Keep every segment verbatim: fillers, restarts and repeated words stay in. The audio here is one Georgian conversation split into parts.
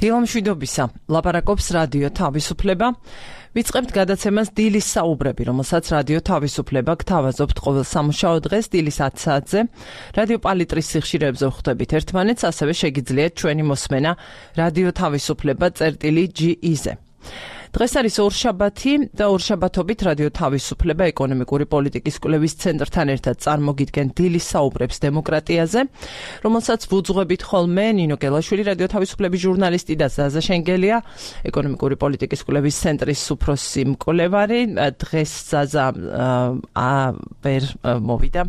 დილამშვიდობისა, ლაპარაკობს რადიო თავისუფლება. ვიწყებთ გადაცემას დილის საუბრები, რომელსაც რადიო თავისუფლება გთავაზობთ ყოველ სამუშაო დღეს დილის ათი საათზე. რადიო პალიტრის სიხშირეებზე ვხვდებით ერთმანეთს, ასევე შეგიძლიათ ჩვენი მოსმენა რადიო თავისუფლება წერტილი ჯი ი-ზე. დღეს არის ორშაბათი და ორშაბათობით რადიო თავისუფლება ეკონომიკური პოლიტიკის კვლევის ცენტრთან ერთად წარმოგიდგენ დილის საუბრებს დემოკრატიაზე, რომელსაც ვუძღვებით ხოლმე ნინო გელაშვილი, რადიო თავისუფლების ჟურნალისტი და ზაზა შენგელია, ეკონომიკური პოლიტიკის კვლევის ცენტრის უფროსი მკვლევარი. დღეს ზაზა ვერ მოვიდა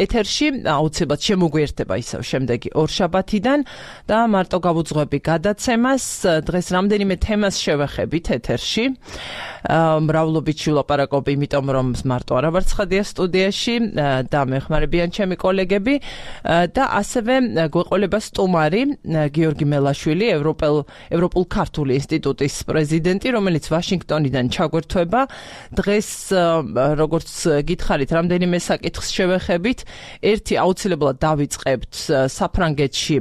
ეთერში, აუცილებლად შემოგვიერთდება ისევ შემდეგი ორშაბათიდან და მარტო გავუძღვები გადაცემას. დღეს რამდენიმე თემას შევეხებით ეთერში. მრავლობით ვილაპარაკობ, იმიტომ რომ მარტო არა ვარ ცხადია სტუდიაში და მეხმარებიან ჩემი კოლეგები და ასევე გვეყოლება სტუმარი გიორგი მელაშვილი, ევროპულ ქართული ინსტიტუტის პრეზიდენტი, რომელიც ვაშინგტონიდან ჩაგვერთვება. დღეს როგორც გითხარით, რამდენიმე საკითხს შევეხებით. ერთი აუცილებლად დავიწყებთ საფრანგეთში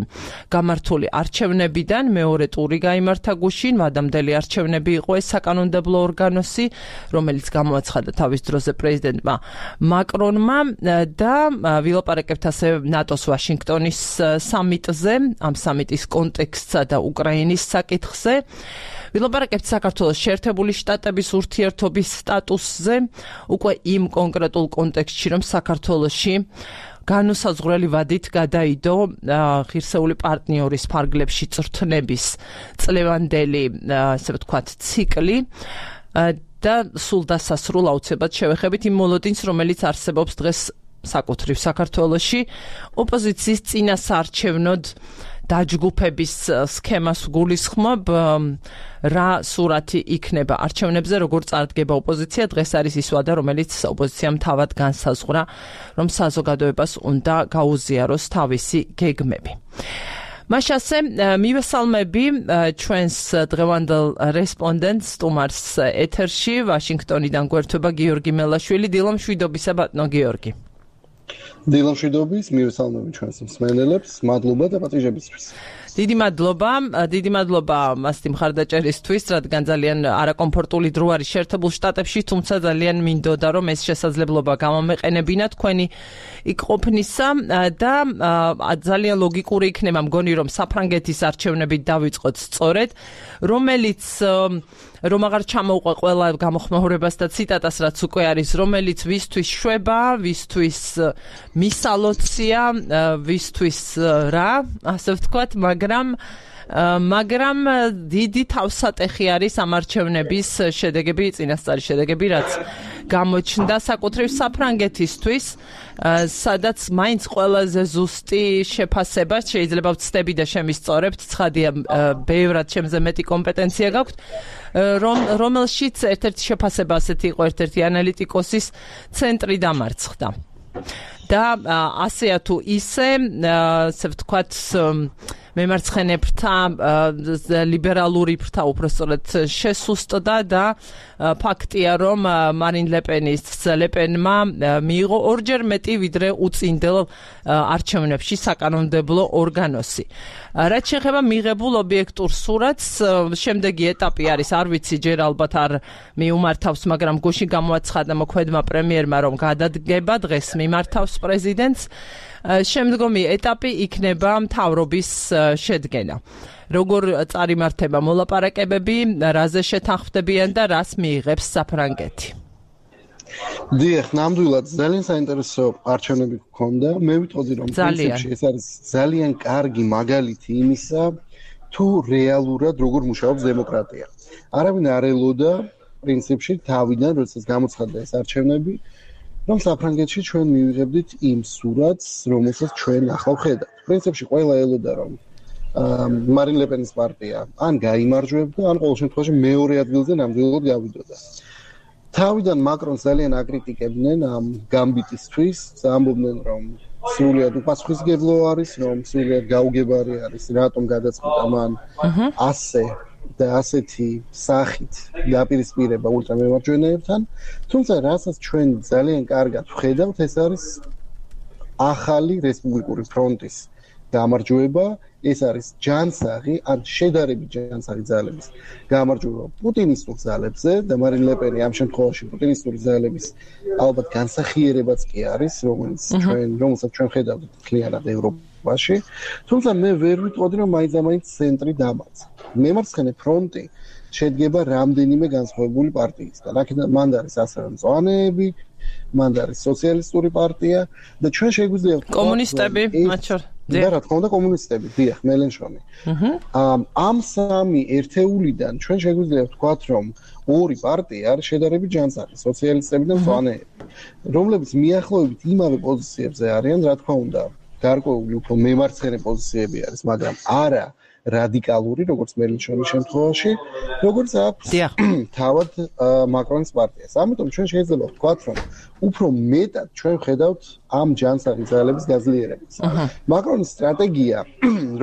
გამართული არჩევნებიდან, მეორე ტური გაიმართა გუშინ, ვადამდელი არჩევნები იყო ეს საკანონმდებლო ორგანოსი, რომელიც გამოაცხადა თავის დროზე პრეზიდენტმა მაკრონმა და ვილაპარაკებთ ასევე ნატოს ვაშინგტონის სამიტზე, ამ სამიტის კონტექსტსა და უკრაინის საკითხზე. ვილაპარაკებთ საქართველოს შეერთებული შტატების ურთიერთობის სტატუსზე, უკვე იმ კონკრეტულ კონტექსტში, რომ საქართველოში განუსაზღვრელი ვადით გადაიდო ღირსეული პარტნიორის ფარგლებში წვრთნების წლევანდელი, ასე ვთქვათ, ციკლი და სულ დასასრულ აუცილებლად შევეხებით იმ მოლოდინს, რომელიც არსებობს დღეს საკუთრივ საქართველოში ოპოზიციის წინასაარჩევნოდ დაჯგუფების სქემას გულისხმობ, რა სურათი იქნება არჩევნებზე, როგორ წარდგება ოპოზიცია. დღეს არის ის ვადა, რომელიც ოპოზიციამ თავად განსაზღვრა, რომ საზოგადოებას უნდა გაუზიაროს თავისი გეგმები. მაშასე მივესალმები ჩვენს დღევანდელ რესპონდენტს, სტუმარს ეთერში, ვაშინგტონიდან გვერდება გიორგი მელაშვილი. დილამშვიდობისა, ბატონო გიორგი. დილამშვიდობის, მივესალმები ჩვენს მსმენელებს, მადლობა და პატიჟებისთვის. დიდი მადლობა, დიდი მადლობა მასტი მხარდაჭერისთვის, რადგან ძალიან არაკომფორტული დრო არის შეერთებულ შტატებში, თუმცა ძალიან მინდოდა, რომ ეს შესაძლებლობა გამომეყენებინა თქვენი იქ ყოფნისა და ძალიან ლოგიკური იქნება მგონი, რომ საფრანგეთის არჩევნებით დავიწყოთ სწორედ, რომელიც რომ აღარ ჩამოუყვა ყველა გამოხმაურებას და ციტატას, რაც უკვე არის, რომელიც ვისთვის შვება, ვისთვის მისალოცია, ვისთვის რა, ასე ვთქვათ, მაგრამ მაგრამ დიდი თავსატეხი არის ამ არჩევნების შედეგები, წინასწარი შედეგები, რაც გამოჩნდა საკუთრივ საფრანგეთისთვის, სადაც მაინც ყველაზე ზუსტი შეფასება შეიძლება ვცდები და შემისწორებთ, ცხადია, ბევრად ჩემზე მეტი კომპეტენცია გაქვთ, რომელშიც ერთ-ერთი შეფასება ასეთი იყო, ერთ-ერთი ანალიტიკოსის ცენტრი დამარცხდა. და ასეა თუ ისე, ასე ვთქვათ, მემარცხენებრთა, ლიბერალური ფრთა უпростоრად შესუსტდა და ფაქტია, რომ მარინ ლეპენის ლეპენმა მიიღო ორჯერ მეტი ვიდრე უწინდელ არჩევნებში საკანონმდებლო ორგანოსი. რაც შეეხება მიღებულ ობიექტურ სურათს, შემდეგი ეტაპი არის, არ ვიცი, ჯერ ალბათ არ მიუმართავს, მაგრამ გუშინ გამოაცხადა მოქმედმა პრემიერმა, რომ გადადგება, დღეს მიმართავს პრეზიდენტს. შემდგომი ეტაპი იქნება მთავრობის შედგენა. როგორ წარიმართება მოლაპარაკებები, რაზე შეთანხმდებიან და რას მიიღებს საფრანგეთი? დიახ, ნამდვილად ძალიან საინტერესო არჩევნები გქონდა. მე ვიტყოდი, რომ პრინციპში ეს არის ძალიან კარგი მაგალითი იმისა, თუ რეალურად როგორ მუშაობს დემოკრატია. არავინ არ ელოდა პრინციპში თავიდან, როდესაც გამოცხადდა ეს არჩევნები, რომ საფრანგეთში ჩვენ მივიღებდით იმ სურათს, რომელსაც ჩვენ ახლა ვხედავთ. პრინციპში ყველა ელოდა, რომ მარინ ლეპენის პარტია ან გაიმარჯვებდა, ან ყოველ შემთხვევაში მეორე ადგილზე ნამდვილად გავიდოდა. თავიდან მაკრონს ძალიან აკრიტიკებდნენ ამ გამბიტისთვის, ამბობდნენ, რომ სრულიად უპასუხისმგებლო არის, რომ სრულიად გაუგებარი არის, რატომ გადაწყვიტა მან ასე და ასეთი სახით დაპირისპირება ულტრამემარჯვენეებთან, თუმცა რასაც ჩვენ ძალიან კარგად ვხედავთ, ეს არის ახალი რესპუბლიკური ფრონტის გამარჯვება, ეს არის ჯანსაღი, ან შედარებით ჯანსაღი ძალების გამარჯვება პუტინისტურ ძალებზე და მარინ ლე პენი ამ შემთხვევაში პუტინისტური ძალების ალბათ განსახიერებაც კი არის, რომელიც ჩვენ რომელსაც ჩვენ ხედავთ მთლიანად ევროპაში. თუმცა მე ვერ ვიტყოდი, რომ მაინც-მაინც ცენტრი დამარცხდა. მემარცხენე ფრონტი შედგება რამდენიმე განსხვავებული პარტიისგან. აქედან მანდ არის ასევე მწვანეები, მანდ არის სოციალისტური პარტია და ჩვენ შეგვიძლია კომუნისტები, მათ შორის და რა თქმა უნდა კომუნისტები, დიახ, მელენშონი. ამ ამ სამი ერთეულიდან ჩვენ შეგვიძლია ვთქვათ, რომ ორი პარტია არის შედარებით ჯანსაღი, სოციალისტები და მწვანეები, რომლებიც მიახლოებით იმავე პოზიციებზე არიან, რა თქმა უნდა, გარკვეული უფრო მემარცხენე პოზიციები არის, მაგრამ არა რადიკალური, როგორც მელენშონის შემთხვევაში, როგორც აქვს თავად მაკრონის პარტიას. ამიტომ ჩვენ შეიძლება ვთქვათ, რომ უფრო მეტად ჩვენ ვხედავთ ამ ჯანსაღი ძალების გაძლიერებას. მაკრონის სტრატეგია,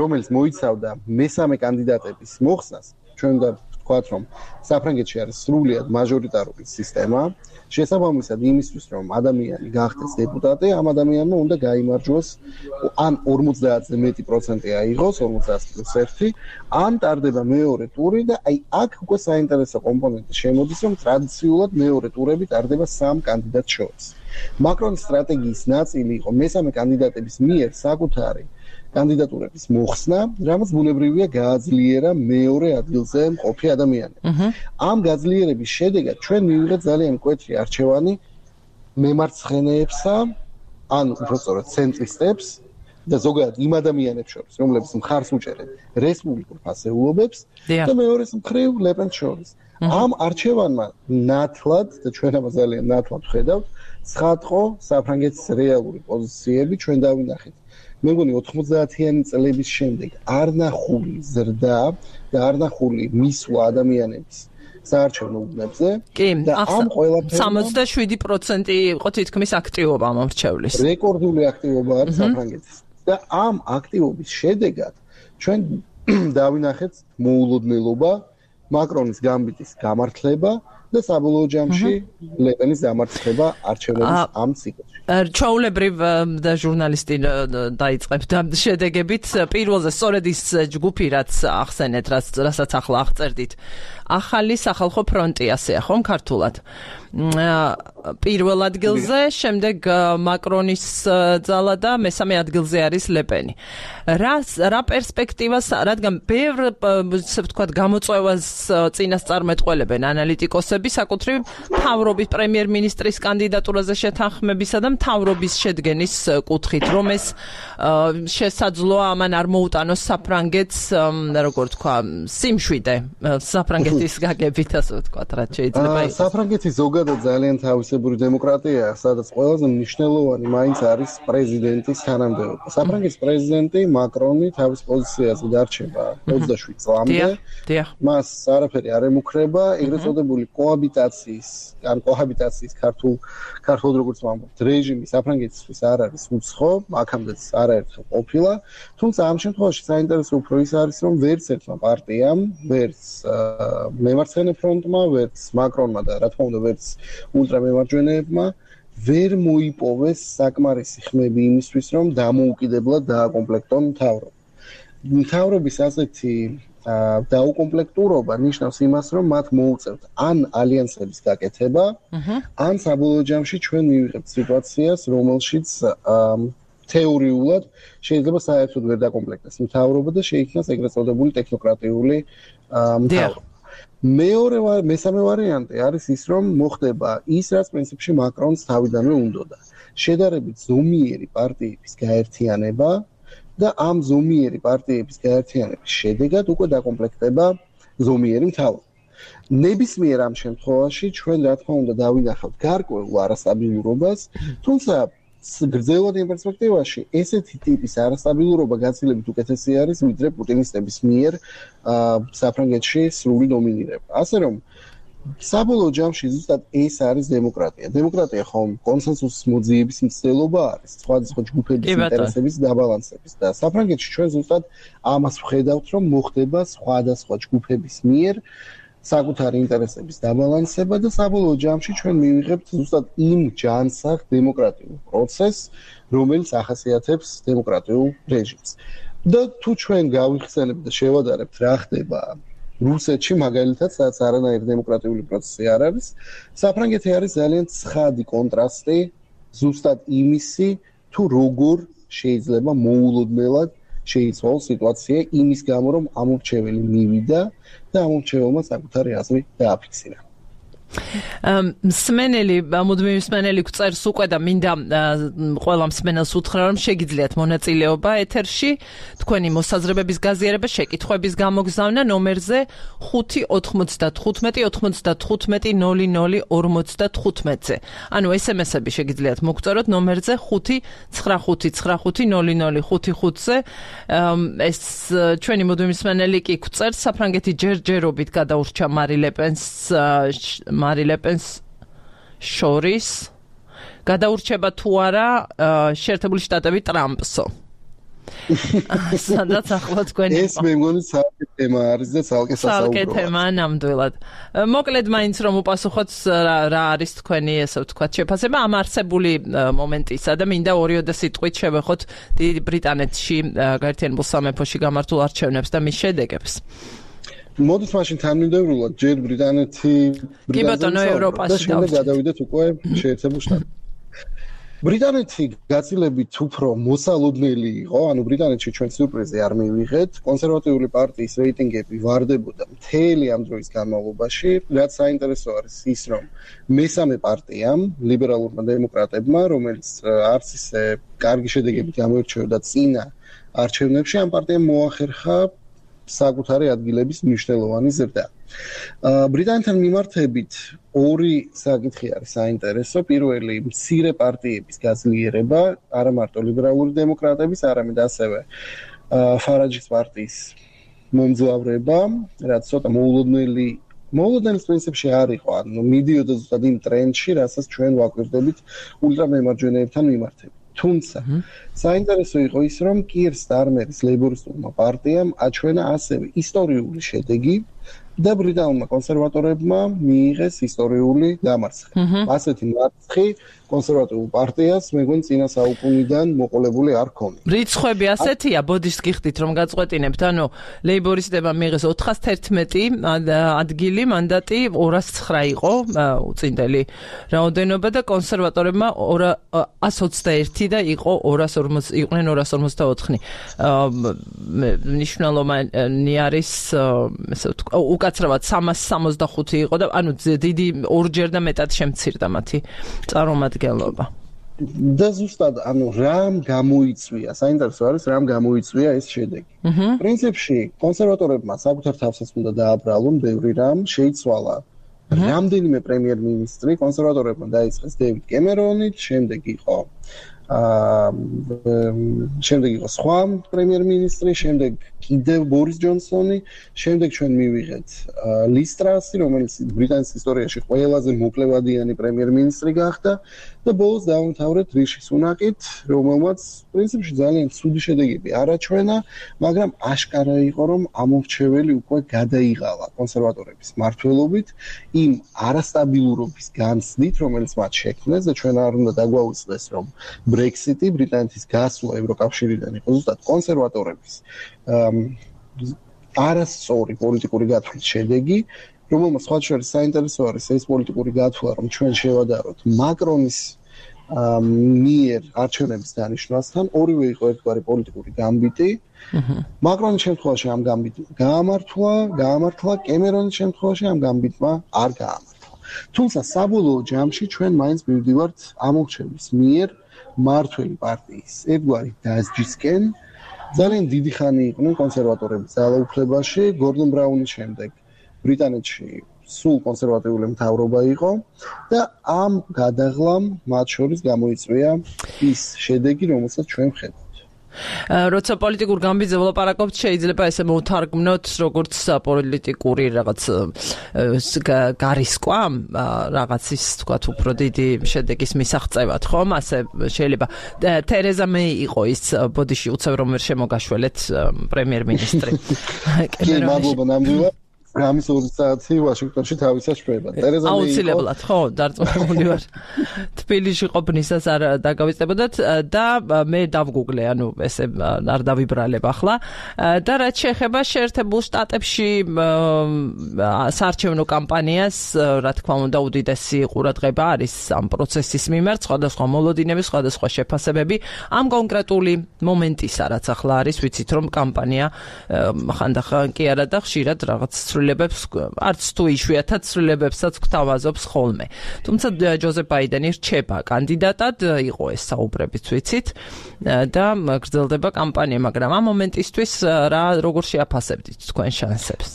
რომელიც მოიცავდა მესამე კანდიდატების მოხსნას, ჩვენ უნდა ვთქვათ, რომ საფრანგეთში არის სრულიად მაჟორიტარული სისტემა, შესაბამისად იმისთვის, რომ ადამიანი გახდეს დეპუტატი, ამ ადამიანმა უნდა გაიმარჯვოს ან ორმოცდაათზე მეტი პროცენტი აიღოს, ორმოცდაათ პლუს ერთი, ან ტარდება მეორე ტური და აი აქ უკვე საინტერესო კომპონენტი შემოდის, რომ ტრადიციულად მეორე ტურები ტარდება სამ კანდიდატს შორის. მაკრონის სტრატეგიის ნაწილი იყო მესამე კანდიდატების მიერ საკუთარი კანდიდატურების მოხსნა, რამაც ბუნებრივია გააძლიერა მეორე ადგილზე მყოფი ადამიანები. ამ გაძლიერების შედეგად ჩვენ მივიღეთ ძალიან მკვეთრი არჩევანი მემარცხენეებსა, ან უფრო სწორად ცენტრისტებს და ზოგადად იმ ადამიანებს შორის, რომლებიც მხარს უჭერენ რესპუბლიკურ ფასეულობებს და მეორეს მხრივ ლე პენს შორის. ამ არჩევანმა ნათლად და ჩვენ ამას ძალიან ნათლად ვხედავთ, ცხადყო საფრანგეთის რეალური პოზიციები ჩვენ დავინახეთ. მე მგონი ოთხმოცდაათიანი წლების შემდეგ არნახული ზრდა და არნახული მისვლა ადამიანების საარჩევნო უბნებზე და ამ ყველაფერს სამოცდაშვიდი პროცენტი იყო თითქმის აქტივობა მომრჩევლის. რეკორდული აქტივობა არის საფრანგეთის და ამ აქტივობის შედეგად ჩვენ დავინახეთ მოულოდნელობა, მაკრონის გამბიტის გამართლება და საბოლოო ჯამში ლე პენის დამარცხება არჩევნების ამ ციკლში. ჩვეულებრივ და ჟურნალისტი დაიწყებს და შედეგებით პირველზე სწორედ ის ჯგუფი რაც ახსენეთ, რასაც ახლა აღწერდით. ახალი სახალხო ფრონტი ასეა ხომ ქართულად. პირველ ადგილზე, შემდეგ მაკრონის ძალა და მესამე ადგილზე არის ლე პენი. რა რა პერსპექტივას, რადგან ბევრ ასე ვთქვათ გამოწვევას წინასწარმეტყველებენ ანალიტიკოსები საკუთრივ მთავრობის პრემიერ-მინისტრის კანდიდატურაზე შეთანხმებისა და მთავრობის შედგენის კუთხით, რომ ეს შესაძლოა ამან არ მოუტანოს საფრანგეთს, როგორ თქვა, სიმშვიდე საფრანგეთის გაგებით, ასე ვთქვათ, რაც შეიძლება იყოს. საფრანგეთი ზოგადად ძალიან თავისებური დემოკრატიაა, სადაც ყველაზე მნიშვნელოვანი მაინც არის პრეზიდენტის თანამდებობა. საფრანგეთის პრეზიდენტი მაკრონი თავის პოზიციაზე დარჩება ოცდაშვიდ წლამდე. მას არაფერი არ ემუქრება, ეგრეთ წოდებული კოაბიტაციის, ან კოჰაბიტაციის ქართულ ქართულად როგორც ვამბობთ, რეჟიმი საფრანგეთისთვის არ არის უცხო, აქამდეც არაერთხელ ყოფილა, თუმცა ამ შემთხვევაში საინტერესო უფრო ის არის, რომ ვერც ერთმა პარტიამ, ვერც მემარცხენე ფრონტმა, ვერც მაკრონმა და რა თქმა უნდა ვერც ულტრამემარჯვენეებმა ვერ მოიპოვეს საკმარისი ხმები იმისთვის, რომ დამოუკიდებლად დააკომპლექტონ მთავრობა. მთავრობის ასეთი დაუკომპლექტურობა ნიშნავს იმას, რომ მათ მოუწევთ ან ალიანსების გაკეთება, ან საბოლოო ჯამში ჩვენ მივიღებთ სიტუაციას, რომელშიც თეორიულად შეიძლება საერთოდ ვერ დაკომპლექტდეს მთავრობა და შეიქმნას ეგრეთ წოდებული ტექნოკრატიული მთავრობა. მეორე მესამე ვარიანტი არის ის, რომ მოხდება ის, რაც პრინციპში მაკრონს თავიდანვე უნდოდა. შედარებით ზომიერი პარტიების გაერთიანება და ამ ზომიერი პარტიების გაერთიანების შედეგად უკვე დაკომპლექტდება ზომიერი მთავრობა. ნებისმიერ ამ შემთხვევაში ჩვენ რა თქმა უნდა დავინახავთ გარკვეულ არასტაბილურობას, თუმცა გრძელვად იმ პერსპექტივაში ესეთი ტიპის არასტაბილურობა გაცილებით უკეთესი არის, ვიდრე პუტინისტების მიერ საფრანგეთში სრული დომინირება. ასე რომ საბოლოო ჯამში ზუსტად ეს არის დემოკრატია. დემოკრატია ხომ კონსენსუსის მოძიების მცდელობა არის, სხვადასხვა ჯგუფების ინტერესების დაბალანსების და საფრანგეთში ჩვენ ზუსტად ამას ვხედავთ, რომ მოხდება სხვადასხვა ჯგუფების მიერ საკუთარი ინტერესების დაბალანსება და საბოლოო ჯამში ჩვენ მივიღებთ ზუსტად იმ ჯანსაღ დემოკრატიულ პროცესს, რომელიც ახასიათებს დემოკრატიულ რეჟიმს. და თუ ჩვენ გავიხსენებთ და შევადარებთ რა ხდება რუსეთში მაგალითად, სადაც არანაირი დემოკრატიული პროცესი არ არის, საფრანგეთი არის ძალიან ცხადი კონტრასტი ზუსტად იმისი, თუ როგორ შეიძლება მოულოდნელად შეიცვალოს სიტუაცია იმის გამო, რომ ამორჩეველი მივიდა და ამორჩეველმა საკუთარი აზრი დააფიქსირა. მსმენელი, მუდმივი მსმენელი გვწერს უკვე და მინდა ყველა მსმენელს უთხრა, რომ შეგიძლიათ მონაწილეობა ეთერში, თქვენი მოსაზრებების გაზიარება, შეკითხვების გამოგზავნა ნომერზე ხუთი ოთხმოცდათხუთმეტი ოცდათხუთმეტი ნული ნული ორმოცდათხუთმეტზე. ანუ ეს ემ ესები შეგიძლიათ მოგწეროთ ნომერზე ხუთი ცხრა ხუთი ცხრა ხუთი ნული ნული ხუთი ხუთზე. ეს ჩვენი მუდმივი მსმენელი კი გვწერს, საფრანგეთი ჯერჯერობით გადაურჩა მარი ლეპენს მარი ლეპენს შორის გადაურჩება თუ არა შეერთებული შტატები ტრამპსო. სადაც ახლა თქვენი ეს მე მგონი ცალკე თემა არის და ცალკე სასაუბრო. ცალკე თემა ნამდვილად. მოკლედ მაინც რომ უპასუხოთ რა არის თქვენი ესე ვთქვათ შეფასება ამ არსებული მომენტისა და მინდა ორიოდე სიტყვით შევეხოთ დიდი ბრიტანეთში გაერთიანებულ სამეფოში გამართულ არჩევნებს და მის შედეგებს. მოდით მაშინ თანმიმდევრულად ჯერ ბრიტანეთი კი ბატონო ევროპაში და გადავიდეთ უკვე შეერთებულ შტატებში. ბრიტანეთი გაცილებით უფრო მოსალოდნელი იყო, ანუ ბრიტანეთში ჩვენ სიურპრიზი არ მივიღეთ, კონსერვატიული პარტიის რეიტინგები ვარდებოდა მთელი ამ დროის განმავლობაში, რაც საინტერესო არის ის, რომ მესამე პარტიამ, ლიბერალურმა დემოკრატებმა, რომელიც არც ისე კარგი შედეგებით გამოირჩეოდა წინა არჩევნებში, ამ პარტიამ მოახერხა საკუთარი ადგილების მნიშვნელოვანი ზრდა. ბრიტანეთთან მიმართებით ორი საკითხი არის საინტერესო. პირველი, მცირე პარტიების გაძლიერება, არა მარტო ლიბერალური დემოკრატების, არამედ ასევე ფარაჯის პარტიის მომძლავრება, რაც ცოტა მოულოდნელი მოულოდნელის პრინციპში არ იყო, ანუ მიდიოდა ზუსტად იმ ტრენდში, რასაც ჩვენ ვაკვირდებით ულტრამემარჯვენეებთან მიმართებით. თუმცა საინტერესო იყო ის, რომ კიერ სტარმერის ლეიბორისტულმა პარტიამ აჩვენა ასევე ისტორიული შედეგი და ბრიტანულმა კონსერვატორებმა მიიღეს ისტორიული დამარცხება. ასეთი მარცხი კონსერვატიულ პარტიას მეგონი წინა საუკუნიდან მოყოლებული არ ქონია. რიცხვები ასეთია, ბოდიშს გიხდით რომ გაწყვეტინებთ, ანუ ლეიბორისტებმა მიიღეს ოთხას თერთმეტი ადგილი, მანდატი ორას ცხრა იყო უწინდელი რაოდენობა და კონსერვატორებმა ორას ოცდაერთი და იყო ორას ორმოცდა იყვნენ ორას ორმოცდაოთხი. მნიშვნელოვანი არის ესე ვთქვა, უკაცრავად სამას სამოცდახუთი იყო და ანუ დიდი ორჯერ და მეტად შემცირდა მათი წარმომადგენლობა. და ზუსტად ანუ რამ გამოიწვია, საინტერესო არის რამ გამოიწვია ეს შედეგი. პრინციპში კონსერვატორებმა საკუთარ თავსაც უნდა დააბრალონ ბევრი რამ, შეიცვალა რამდენიმე პრემიერ-მინისტრი, კონსერვატორებმა დაიწყეს დევიდ კემერონი, შემდეგ იყო აა შემდეგ იყო სხვა პრემიერ-მინისტრი, შემდეგ კიდევ ბორის ჯონსონი, შემდეგ ჩვენ მივიღეთ ლის ტრასი, რომელიც ბრიტანეთის ისტორიაში ყველაზე მოკლევადიანი პრემიერ-მინისტრი გახდა და ბოლოს დაამთავრეთ რიში სუნაკით, რომელმაც პრინციპში ძალიან ცუდი შედეგები არ აჩვენა, მაგრამ აშკარა იყო, რომ ამორჩეველი უკვე გადაიღალა კონსერვატორების მმართველობით იმ არასტაბილურობის განცდით, რომელიც მათ შექმნეს და ჩვენ არ უნდა დაგვაუწყდეს, რომ ბრექსიტი, ბრიტანეთის გასვლა ევროკავშირიდან იყო ზუსტად კონსერვატორების არასწორი პოლიტიკური გათვლის შედეგი, რომელმაც სხვა შორის საინტერესო არის ეს პოლიტიკური გათვლა, რომ ჩვენ შევადაროთ მაკრონის მიერ არჩევნების დანიშნვასთან, ორივე იყო ერთგვარი პოლიტიკური გამბიტი. მაკრონის შემთხვევაში ამ გამბიტმა გაამართლა, გაამართლა, კემერონის შემთხვევაში ამ გამბიტმა არ გაამართლა. თუმცა საბოლოო ჯამში ჩვენ მაინც მივდივართ ამორჩევლის მიერ მმართველი პარტიის ერთგვარი დასჯისკენ. ძალიან დიდი ხანი იყვნენ კონსერვატორები ძალაუფლებაში, გორდონ ბრაუნის შემდეგ ბრიტანეთში სულ კონსერვატიული მთავრობა იყო და ამ გადაღლამ მათ შორის გამოიწვია ის შედეგი, რომელსაც ჩვენ ვხედავთ. როცა პოლიტიკურ გამბიძე ვლაპარაკობთ, შეიძლება ესე მოვთარგმნოთ როგორც პოლიტიკური რაღაც გარისკვა, რაღაც ის თქვათ უფრო დიდი შედეგის მისაღწევად, ხომ? ასე შეიძლება თერეზა მეი იყო ის ბოდიში უცებ რომ ვერ შემოგაშველეთ პრემიერ-მინისტრი. კი, მადლობა ნამდვილად. ამის ორი საათი ვაშინგტონში თავისას შვება. ტერეზა მეი აუცილებლად, ხო, დარწმუნებული ვარ. თბილისში ყოფნისას არ დაგავიწყებოდათ და მე დავგუგლე, ანუ ესე არ დავიბრალებ ახლა. და რაც შეეხება შეერთებულ შტატებში საარჩევნო კამპანიას, რა თქმა უნდა, უდიდესი ყურადღება არის ამ პროცესის მიმართ, სხვადასხვა მოლოდინები, სხვადასხვა შეფასებები. ამ კონკრეტული მომენტისა, რაც ახლა არის, ვიცით რომ კამპანია ხანდახან კი არა და ხშირად რაღაც ცვლილებებს, არც თუ იშვიათად ცვლილებებსაც გვთავაზობს ხოლმე. თუმცა ჯოზეფ ბაიდენი რჩება კანდიდატად, იყო ეს საუბრებიც ვიცით და გრძელდება კამპანია, მაგრამ ამ მომენტისთვის რა როგორ შეაფასებდით თქვენ შანსებს?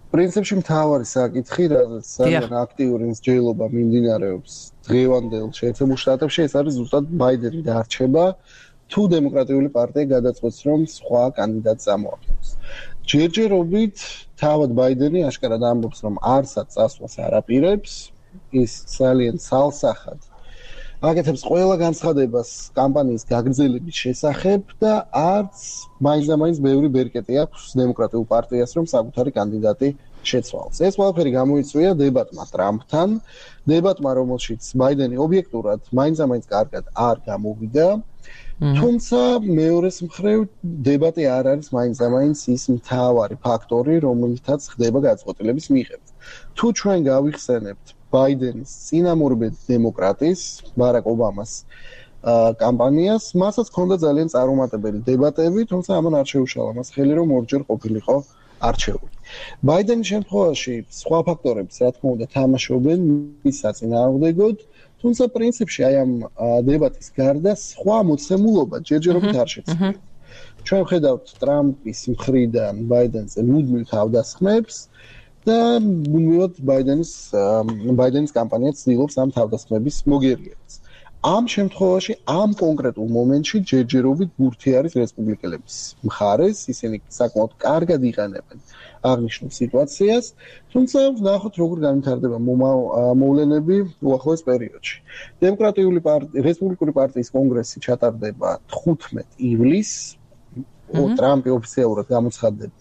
პრინციპში მთავარი საკითხი, რაც ძალიან აქტიური მსჯელობა მიმდინარეობს დღევანდელ შეერთებულ შტატებში, ეს არის ზუსტად ბაიდენი დარჩება, თუ დემოკრატიული პარტია გადაწყვეტს, რომ სხვა კანდიდატს წამოაყენოს. ჯერჯერობით თავად ბაიდენი აშკარად ამბობს, რომ არსად წასვლას არ აპირებს, ის ძალიან ცალსახად აკეთებს ყველა განცხადებას კამპანიის გაგრძელების შესახებ და არც მაინც-მაინც ბევრი ბერკეტი აქვს დემოკრატიულ პარტიას, რომ საკუთარი კანდიდატი შეცვალოს. ეს ყველაფერი გამოიწვია დებატმა ტრამპთან, დებატმა, რომელშიც ბაიდენი ობიექტურად მაინც-მაინც კარგად არ გამოვიდა. თუმცა მეორეს მხრივ დებატი არ არის მაინც-მაინც ის მთავარი ფაქტორი, რომელთაც ხდება გადაწყვეტილების მიღება. თუ ჩვენ გავიხსენებთ ბაიდენის წინამორბედ დემოკრატის, ბარაკ ობამას კამპანიას, მასაც ჰქონდა ძალიან წარუმატებელი დებატები, თუმცა ამან არ შეუშალა მას ხელი, რომ ორჯერ ყოფილიყო არჩეული. ბაიდენის შემთხვევაში სხვა ფაქტორებიც, რა თქმა უნდა, თამაშობენ მის საწინააღმდეგოდ, თუმცა პრინციპში აი ამ დებატის გარდა სხვა მოცემულობა ჯერჯერობით არ შეცვლილა. ჩვენ ვხედავთ ტრამპის მხრიდან ბაიდენზე მუდმივ თავდასხმებს და მუდმივად ბაიდენის ბაიდენის კამპანია ცდილობს ამ თავდასხმების მოგერიებას. ამ შემთხვევაში ამ კონკრეტულ მომენტში ჯერჯერობით ბურთი არის რესპუბლიკელების მხარეს, ისინი საკმაოდ კარგად იყენებენ აღნიშნულ სიტუაციას, თუმცა ვნახოთ როგორ განვითარდება მოვლენები უახლოეს პერიოდში. დემოკრატიული პარტია, რესპუბლიკური პარტიის კონგრესი ჩატარდება თხუთმეტ ივლისს, ტრამპი ოფიციალურად გამოცხადდება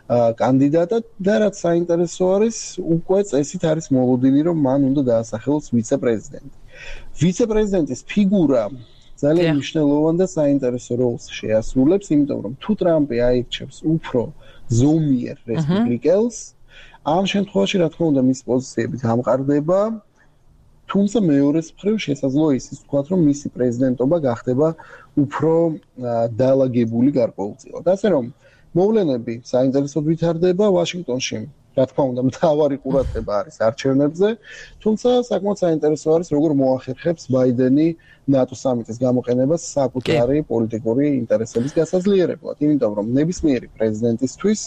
კანდიდატად და რაც საინტერესო არის, უკვე წესით არის მოლოდინი, რომ მან უნდა დაასახელოს ვიცე-პრეზიდენტი. ვიცე-პრეზიდენტის ფიგურა ძალიან მნიშვნელოვან და საინტერესო როლს შეასრულებს, იმიტომ რომ თუ ტრამპი აირჩევს უფრო ზომიერ რესპუბლიკელს, ამ შემთხვევაში რა თქმა უნდა მის პოზიციები გამყარდება, თუმცა მეორეს მხრივ შესაძლოა ისიც ვთქვათ, რომ მისი პრეზიდენტობა გახდება უფრო დაალაგებული გარკვეულწილად. ასე რომ მოვლენები საინტერესოდ ვითარდება ვაშინგტონში. რა თქმა უნდა, მთავარი ყურადღება არის არჩევნებზე, თუმცა საკმაოდ საინტერესო არის, როგორ მოახერხებს ბაიდენი ნატო სამიტის გამოყენებას საკუთარი პოლიტიკური ინტერესების გასაძლიერებლად, იმიტომ რომ ნებისმიერი პრეზიდენტისთვის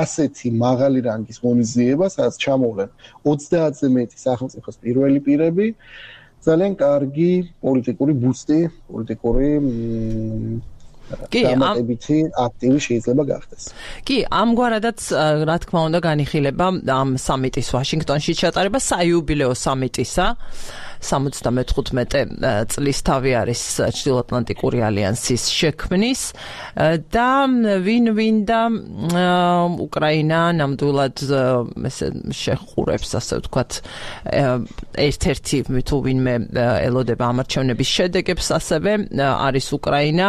ასეთი მაღალი რანგის ღონისძიება, სადაც ჩამოვლენ ოცდაათზე მეტი სახელმწიფოს პირველი პირები, ძალიან კარგი პოლიტიკური ბუსტი, პოლიტიკური კი, ამიტი აქტივი შეიძლება გახდეს. კი, ამგვარადაც რა თქმა უნდა განიხილება ამ სამიტის ვაშინგტონში ჩატარება საიუბილეო სამიტისა. სამოცდამეთხუთმეტე წლის თავი არის ჩრდილოატლანტიკური ალიანსის შექმნის და ვინ-ვინ და უკრაინა ნამდვილად ესე შეხურებს, ასე ვთქვათ, ერთ-ერთი თუ ვინმე ელოდება ამ არჩევნების შედეგებს, ასევე არის უკრაინა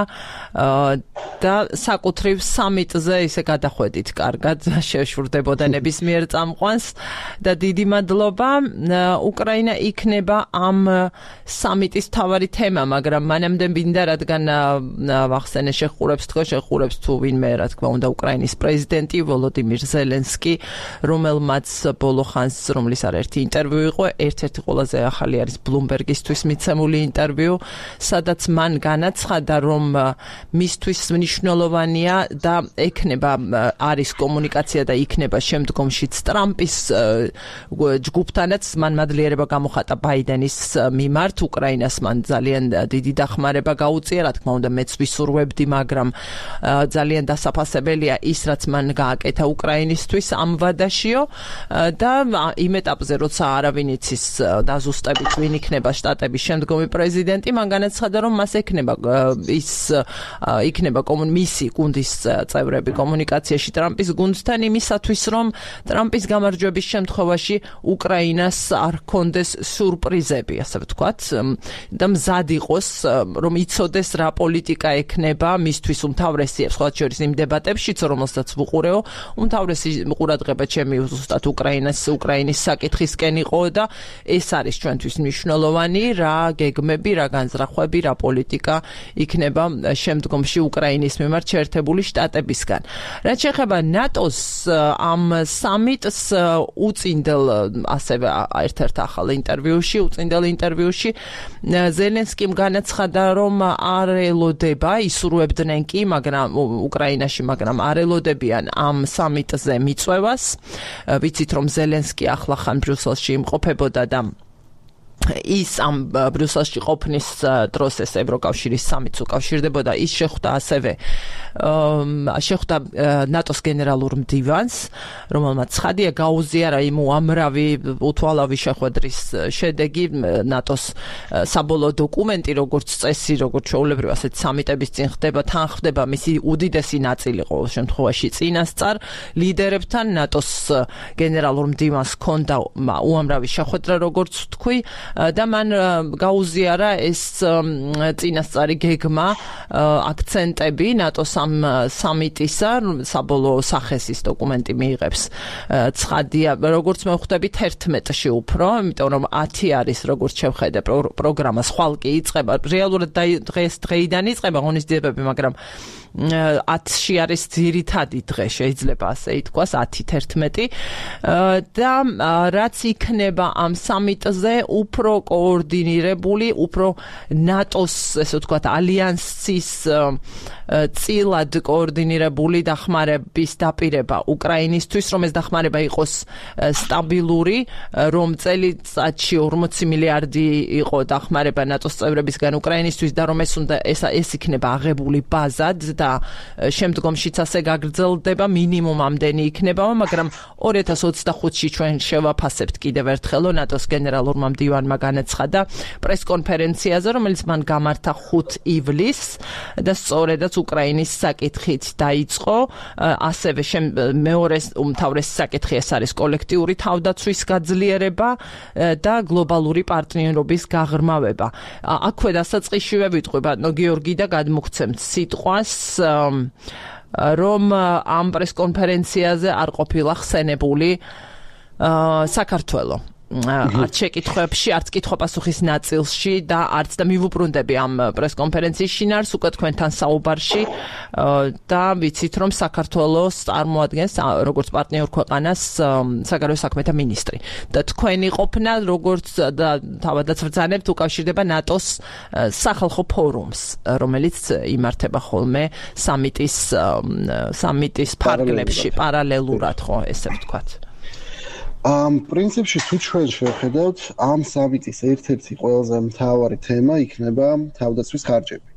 და საკუთრივ სამიტზე ისე გადახვედით კარგად შეშურდებოდა ნებისმიერ წამყვანს და დიდი მადლობა. უკრაინა იქნება ამ სამიტის თავარი თემა, მაგრამ მანამდე მინდა რადგან ვახსენე შეხურებს თქო შეხურებს თუ ვინმე რა თქმა უნდა უკრაინის პრეზიდენტი ვოლოდიმირ ზელენსკი, რომელმაც ბოლო ხანს რომლის არაერთი ინტერვიუ იყო, ერთ-ერთი ყველაზე ახალი არის ბლუმბერგისთვის მიცემული ინტერვიუ, სადაც მან განაცხადა, რომ მისთვის მნიშვნელოვანია და ექნება არის კომუნიკაცია და იქნება შემდგომშიც ტრამპის ჯგუფთანაც მან მადლიერება გამოხატა ბაიდენის მიმართ უკრაინას მან ძალიან დიდი დახმარება გაუწია, რა თქმა უნდა მეც ვისურვებდი, მაგრამ ძალიან დასაფასებელია ის რაც მან გააკეთა უკრაინისთვის ამ ვადაშიო და იმ ეტაპზე როცა არავინ იცის დაზუსტებით ვინ იქნება შტატების შემდგომი პრეზიდენტი, მან განაცხადა რომ მას ექნება ის იქნება მისი გუნდის წევრები კომუნიკაციაში ტრამპის გუნდთან იმისათვის, რომ ტრამპის გამარჯვების შემთხვევაში უკრაინას არ ჰქონდეს სურპრიზები, ასე ვთქვათ, და მზად იყოს, რომ იცოდეს რა პოლიტიკა ექნება მისთვის უმთავრესი, სხვა შორის იმ დებატებშიც, რომელსაც ვუყურეო, უმთავრესი ყურადღება ჩემი ზუსტად უკრაინას, უკრაინის საკითხისკენ იყო და ეს არის ჩვენთვის მნიშვნელოვანი, რა გეგმები, რა განზრახვები, რა პოლიტიკა იქნება შემდგომში უკრაინის მიმართ შეერთებული შტატებისგან. რაც შეეხება ნატოს ამ სამიტს უწინდელ ასევე ერთ-ერთ ახალ ინტერვიუში, უწინდელ ინტერვიუში ზელენსკიმ განაცხადა, რომ არ ელოდება, ისურვებდნენ კი, მაგრამ უკრაინაში, მაგრამ არ ელოდებიან ამ სამიტზე მიწვევას. ვიცით, რომ ზელენსკი ახლახან ბრიუსელში იმყოფებოდა და ის ამ ბრიუსელში ყოფნის დროს ეს ევროკავშირის სამიტს უკავშირდებოდა, ის შეხვდა ასევე შეხვდა ნატოს გენერალურ მდივანს, რომელმაც ცხადია გაუზიარა იმ უამრავი უთვალავი შეხვედრის შედეგი, ნატოს საბოლოო დოკუმენტი, როგორც წესი, როგორც ჩვეულებრივ ასეთ სამიტების წინ ხდება, თან ხდება მისი უდიდესი ნაწილი ყოველ შემთხვევაში წინასწარ ლიდერებთან. ნატოს გენერალურ მდივანს ჰქონდა უამრავი შეხვედრა, როგორც ვთქვი, და მან გაუზიარა ეს წინასწარი გეგმა, აქცენტები ნატოს ამ სამიტისა, საბოლოო სახეს ის დოკუმენტი მიიღებს. ცხადია, როგორც მე ვხვდებით ერთმეტში უფრო, იმიტომ რომ ათი არის, როგორც შევხედე პროგრამა, ხვალკი იწყება, რეალურად დღეს დღეიდან იწყება ღონისძიებები, მაგრამ ათში არის ძირითადი დღე, შეიძლება ასე ითქვას, ათი თერთმეტი და რაც იქნება ამ სამიტზე უფრო კოორდინირებული, უფრო ნატოს, ესე ვთქვათ, ალიანსის წილად კოორდინირებული დახმარების დაპირება უკრაინისთვის, რომ ეს დახმარება იყოს სტაბილური, რომ წელიწადში ორმოცი მილიარდი იყო დახმარება ნატოს წევრებისგან უკრაინისთვის და რომ ეს უნდა ეს ეს იქნება აღებული ბაზად და შემდგომშიც ასე გაგრძელდება, მინიმუმ ამდენი იქნება, მაგრამ ორი ათას ოცდახუთში ჩვენ შევაფასებთ კიდევ ერთხელ ნატოს გენერალურმა მდივანმა განაცხადა პრესკონფერენციაზე, რომელიც მან გამართა ხუთ ივლისს და სწორედაც უკრაინის საკითხით დაიწყო, ასევე მეორე უმთავრესი საკითხი ეს არის კოლექტიური თავდაცვის გაძლიერება და გლობალური პარტნიორობის გაღრმავება. აქვე დასაწყისშივე ვიტყვი ბატონო გიორგი და გადმოგცემთ სიტყვას, რომ ამ პრესკონფერენციაზე არ ყოფილა ხსენებული საქართველო. არც შეკითხვებში, არც კითხვა-პასუხის ნაწილში და არც და მივუბრუნდები ამ პრესკონფერენციის შინაარს უკვე თქვენთან საუბარში და ვიცით, რომ საქართველოს წარმოადგენს როგორც პარტნიორ ქვეყანას საგარეო საქმეთა მინისტრი. და თქვენი ყოფნა როგორც და თავადაც ვბრძანებთ უკავშირდება ნატოს სახალხო ფორუმს, რომელიც იმართება ხოლმე სამიტის სამიტის ფარგლებში, პარალელურად, ხო, ესე ვთქვათ. ამ პრინციპში თუ ჩვენ შევხედავთ, ამ სამიტის ერთ-ერთი ყველაზე მთავარი თემა იქნება თავდაცვის ხარჯები.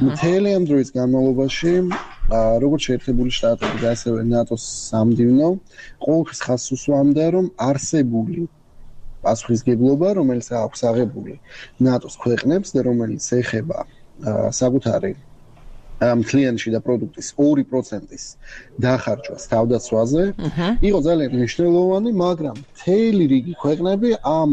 მთელი ამ დროის განმავლობაში, როგორც შეერთებული შტატები და ასევე ნატოს სამდივნო, ყოველთვის ხაზს უსვამდა, რომ არსებული პასუხისგებლობა, რომელიც აქვს აღებული ნატოს ქვეყნებს და რომელიც ეხება საკუთარი მთლიანში და პროდუქტის ორი პროცენტის დახარჯვას თავდაცვაზე, იყო ძალიან მნიშვნელოვანი, მაგრამ მთელი რიგი ქვეყნები ამ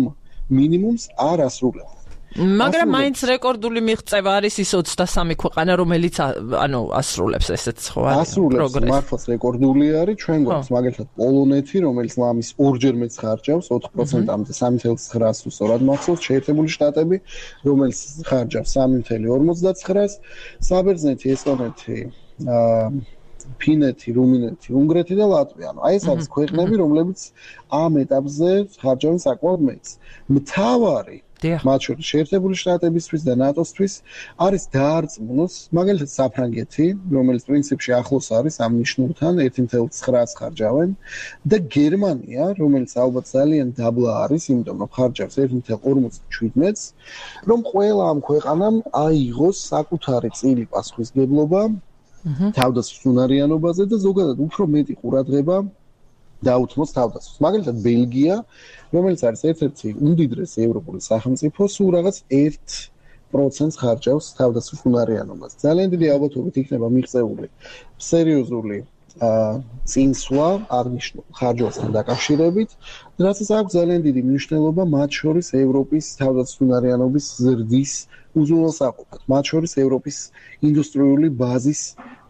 მინიმუმს არ ასრულებდა. მაგრამ მაინც რეკორდული მიღწევა არის ის ოცდასამი ქვეყანა, რომელიც ანუ ასრულებს ესეც ხო არის ასრულებს, მართლაც რეკორდული არის, ჩვენ გვაქვს მაგალითად პოლონეთი, რომელიც ამის ორჯერ მეც ხარჯავს, ოთხ პროცენტამდე სამი წუთი ცხრას სწორად მახსოვს, შეერთებული შტატები, რომელიც ხარჯავს სამი წუთი ორმოცდაცხრას, საბერძნეთი, ესტონეთი, ფინეთი, რუმინეთი, უნგრეთი და ლატვია. აი ეს არის ქვეყნები, რომლებიც ამ ეტაპზე ხარჯავენ საკმაოდ მეც. მთავარი მათ შორის შეერთებული შტატებისთვის და ნატოსთვის არის დაარწმუნოს მაგალითად საფრანგეთი, რომელიც პრინციპში ახლოს არის ამ ნიშნულთან ერთი წუთი ცხრას ხარჯავენ და გერმანია, რომელიც ალბათ ძალიან დაბლა არის, იმიტომ რომ ხარჯავს ერთი წუთი ორმოცდაშვიდს, რომ ყველა ამ ქვეყანამ აიღოს საკუთარი წილი პასუხისგებლობა თავდაცვის უნარიანობაზე და ზოგადად უფრო მეტი ყურადღება დაუთმოს თავდაცვას. მაგალითად ბელგია, რომელიც არის ერთ-ერთი უმდიდრესი ევროპული სახელმწიფო, სულ რაღაც ერთ პროცენტს ხარჯავს თავდაცვის უნარიანობას. ძალიან დიდი ალბათობით იქნება მიღწეული სერიოზული წინსვლა აღნიშნულ ხარჯვასთან დაკავშირებით, რასაც აქვს ძალიან დიდი მნიშვნელობა მათ შორის ევროპის თავდაცვის უნარიანობის ზრდის უზრუნველსაყოფად, მათ შორის ევროპის ინდუსტრიული ბაზის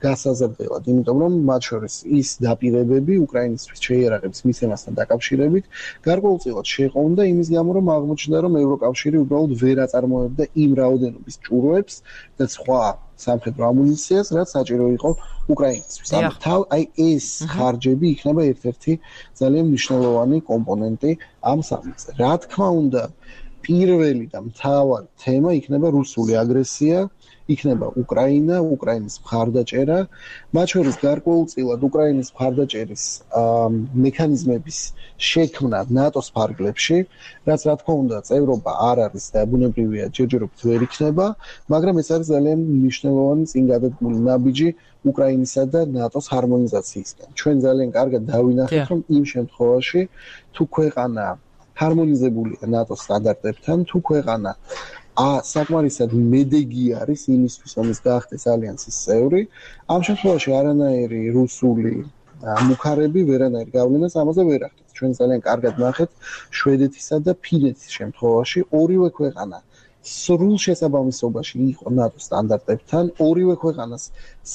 გასაზრდელად, იმიტომ რომ მათ შორის ის დაპირებები უკრაინისთვის შეიარაღების მიცემასთან დაკავშირებით გარკვეულწილად შეყოვდა იმის გამო, რომ აღმოჩნდა, რომ ევროკავშირი უბრალოდ ვერ აწარმოებდა იმ რაოდენობის ჭურვებს და სხვა სამხედრო ამუნიციას, რაც საჭირო იყო უკრაინისთვის. ამიტომ აი ეს ხარჯები იქნება ერთ-ერთი ძალიან მნიშვნელოვანი კომპონენტი ამ სამიწზე. რა თქმა უნდა, პირველი და მთავარი თემა იქნება რუსული აგრესია, იქნება უკრაინა, უკრაინის მხარდაჭერა, მათ შორის გარკვეულწილად უკრაინის მხარდაჭერის მექანიზმების შექმნა ნატოს ფარგლებში, რაც რა თქმა უნდა წევრობა არ არის და ბუნებრივია ჯერჯერობით ვერ იქნება, მაგრამ ეს არის ძალიან მნიშვნელოვანი წინგადადგმული ნაბიჯი უკრაინისა და ნატოს ჰარმონიზაციისგან. ჩვენ ძალიან კარგად დავინახეთ, რომ იმ შემთხვევაში თუ ქვეყანა ჰარმონიზებულია ნატოს სტანდარტებთან, თუ ქვეყანა ა საკმარისად მედეგი არის იმისთვის, რომ ის გაახდეს ალიანსის წევრი, ამ შემთხვევაში არანაირი რუსული მუხარები ვერანაირ გავლენას ამაზე ვერ ახდენს. ჩვენ ძალიან კარგად ნახეთ შვედეთისა და ფინეთის შემთხვევაში ორივე ქვეყანა სრულ შესაბამისობაში იყო ნატოს სტანდარტებთან, ორივე ქვეყანას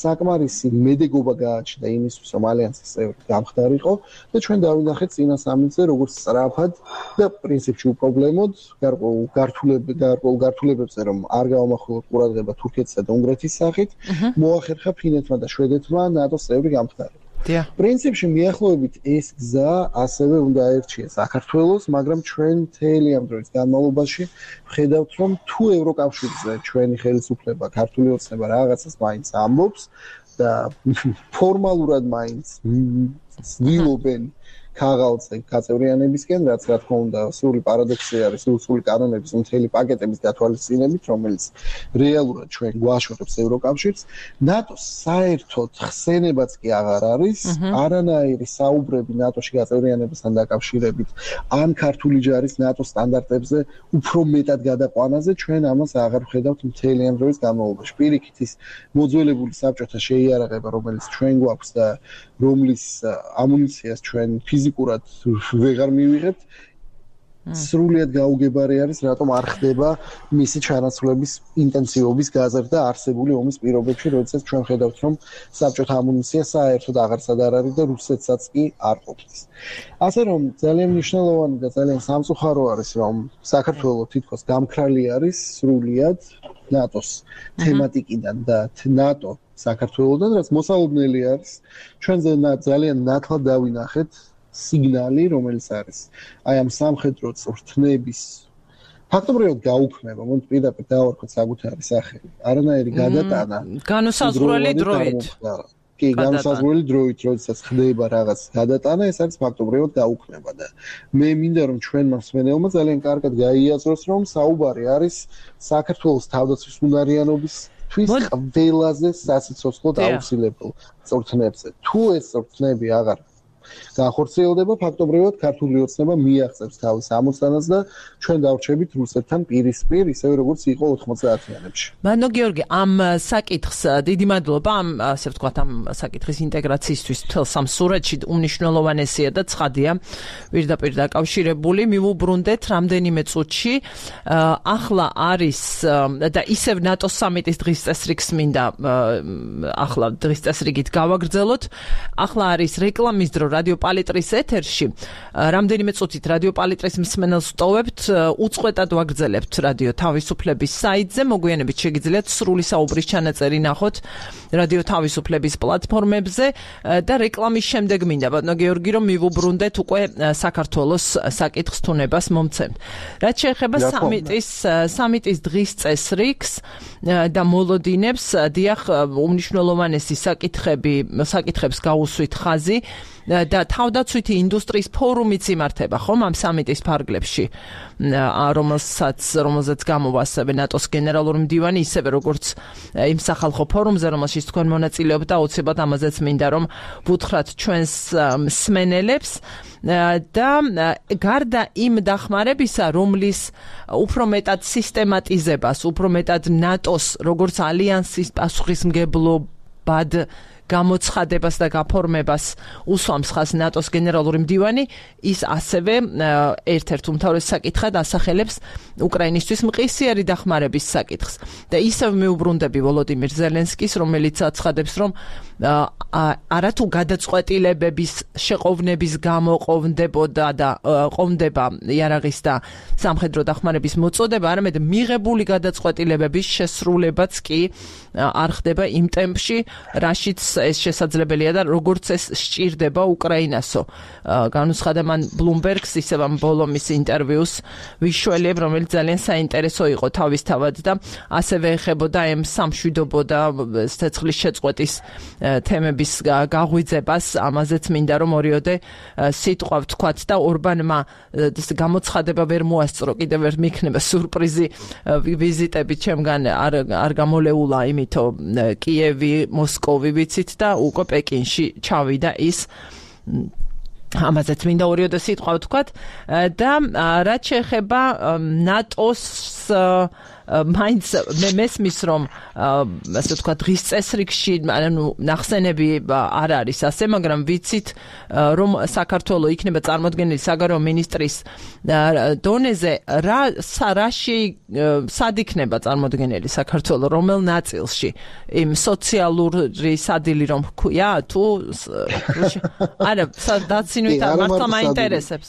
საკმარისი მედეგობა გააჩნდა იმისთვის, რომ ალიანსის წევრი გამხდარიყო და ჩვენ დავინახეთ წინა სამი წელი როგორც სწრაფად და პრინციპში უპრობლემოდ გარკვეულ გართულებ გარკვეულ გართულებებზე რომ არ გავამახვილოთ ყურადღება თურქეთისა და უნგრეთის სახით, მოახერხა ფინეთმა და შვედეთმა ნატოს წევრი გამხდარიყო. პრინციპში მიახლოებით ეს გზა ასევე უნდა აერჩიეს საქართველოს, მაგრამ ჩვენ მთელი ამ დროის განმავლობაში ვხედავთ, რომ თუ ევროკავშირზე ჩვენი ხელისუფლება, ქართული ოცნება რაღაცას მაინც ამბობს და ფორმალურად მაინც ცდილობენ ქაღალდზე გაწევრიანებისკენ, რაც რა თქმა უნდა სრული პარადოქსი არის რუსული კანონების მთელი პაკეტების გათვალისწინებით, რომელიც რეალურად ჩვენ გვაშორებს ევროკავშირს, ნატოს საერთოდ ხსენებაც კი აღარ არის, არანაირი საუბრები ნატოში გაწევრიანებასთან დაკავშირებით, ან ქართული ჯარის ნატოს სტანდარტებზე უფრო მეტად გადაყვანაზე, ჩვენ ამას აღარ ვხედავთ მთელი ამ დროის განმავლობაში. პირიქით ის მოძველებული საბჭოთა შეიარაღება, რომელიც ჩვენ გვაქვს და რომლის ამუნიციას ჩვენ ფიზიკურად ვეღარ მივიღებთ, სრულიად გაუგებარი არის, რატომ არ ხდება მისი ჩანაცვლების ინტენსივობის გაზრდა არსებული ომის პირობებში, როდესაც ჩვენ ხედავთ, რომ საბჭოთა ამუნიცია საერთოდ აღარსად არ არის და რუსეთსაც კი არ ყოფნის. ასე რომ ძალიან მნიშვნელოვანი და ძალიან სამწუხარო არის, რომ საქართველოს თითქოს გამქრალი არის სრულიად ნატოს თემატიკიდან და ნატო საქართველოსთან, რაც მოსალოდნელი არის. ჩვენ ძალიან ნათლად დავინახეთ სიგნალი, რომელიც არის აი ამ სამხედრო წვრთნების ფაქტობრივად გაუქმება, მომ პირდაპირ დავარქვათ საკუთარი სახელი. არანაირი გადატანა განუსაზღვრელი დროით. კი, განუსაზღვრელი დროით, როდესაც ხდება რაღაც გადატანა, ეს არის ფაქტობრივად გაუქმება და მე მინდა რომ ჩვენმა მსმენელმა ძალიან კარგად გაიაზროს, რომ საუბარი არის საქართველოს თავდაცვის უნარიანობის თვის ყველაზე სასიცოცხლო და აუცილებელ წვრთნებზე. თუ ეს წვრთნები აღარ განხორციელდება, ფაქტობრივად ქართული ოცნება მიაღწევს თავის ამოცანას და ჩვენ დავრჩებით რუსეთთან პირისპირ, ისევე როგორც იყო ოთხმოცდაათიანებში. მადლობა გიორგი, ამ საკითხს დიდი მადლობა ამ ასე ვთქვათ ამ საკითხის ინტეგრაციისთვის მთელ სამ სურათში უმნიშვნელოვანესია და ცხადია პირდაპირ დაკავშირებული. მივუბრუნდეთ რამდენიმე წუთში. ახლა არის და ისევ ნატოს სამიტის დღის წესრიგს მინდა ახლა დღის წესრიგით გავაგრძელოთ. ახლა არის რეკლამის დრო რადიო პალიტრის ეთერში. რამდენიმე წუთით რადიო პალიტრის მსმენელს ვტოვებთ, უწყვეტად ვაგრძელებთ რადიო თავისუფლების საიტზე. მოგვიანებით შეგიძლიათ სრული საუბრის ჩანაწერი ნახოთ რადიო თავისუფლების პლატფორმებზე და რეკლამის შემდეგ მინდა ბატონო გიორგი რომ მივუბრუნდეთ უკვე საქართველოს საკითხს თუნებას მომცემთ. რაც შეეხება სამიტის სამიტის დღის წესრიგს და მოლოდინებს, დიახ, უმნიშვნელოვანესი საკითხები, საკითხებს გაუსვით ხაზი. და თავდაცვითი ინდუსტრიის ფორუმიც იმართება ხომ ამ სამიტის ფარგლებში, რომელსაც რომელზეც გამოვა ასევე ნატოს გენერალური მდივანი, ისევე როგორც იმ სახალხო ფორუმზე, რომელშიც თქვენ მონაწილეობთ და აუცილებლად ამაზეც მინდა რომ ვუთხრათ ჩვენს მსმენელებს და გარდა იმ დახმარებისა, რომლის უფრო მეტად სისტემატიზებას, უფრო მეტად ნატოს როგორც ალიანსის პასუხისმგებლობად გამოცხადებას და გაფორმებას უსვამს ხაზს ნატოს გენერალური მდივანი, ის ასევე ერთ-ერთ უმთავრეს საკითხად ასახელებს უკრაინისთვის მყისიერი დახმარების საკითხს. და ისევ მეუბრუნდები ვოლოდიმირ ზელენსკის, რომელიც აცხადებს, რომ არათუ გადაწყვეტილებების შეყოვნების გამო ყოფნდებოდა და ყოფნდება იარაღის და სამხედრო დახმარების მოწოდება, არამედ მიღებული გადაწყვეტილებების შესრულებაც კი არ ხდება იმ ტემპში, რაშიც ეს შესაძლებელია და როგორც ეს სჭირდება უკრაინასო. განუცხადა მან ბლუმბერგს, ისევ ამ ბოლომის ინტერვიუს ვიშველებ, რომელიც ძალიან საინტერესო იყო თავისთავად და ასევე ეხებოდა ამ სამშვიდობო და ცეცხლის შეწყვეტის თემების გაღვიძებას. ამაზეც მინდა რომ ორიოდე სიტყვა ვთქვათ და ორბანმა გამოცხადება ვერ მოასწრო, კიდევ ვერ მიქნება სურპრიზი ვიზიტები ჩემგან არ არ გამოლეულა, იმითო კიევი, მოსკოვი ვიცით და უკვე პეკინში ჩავიდა ის. ამაზეც მინდა ორიოდე სიტყვა ვთქვათ და რაც შეეხება ნატოს მაინც მე მესმის რომ ასე ვთქვათ დღის წესრიგში ანუ ნახსენები არ არის ასე, მაგრამ ვიცით რომ საქართველოს იქნება წარმოდგენილი საგარეო მინისტრის დონეზე რა რაში სად იქნება წარმოდგენილი საქართველოს რომელ ნაწილში, იმ სოციალური სადილი რომ ქვია თუ არა დაცინვით მართლა მაინტერესებს.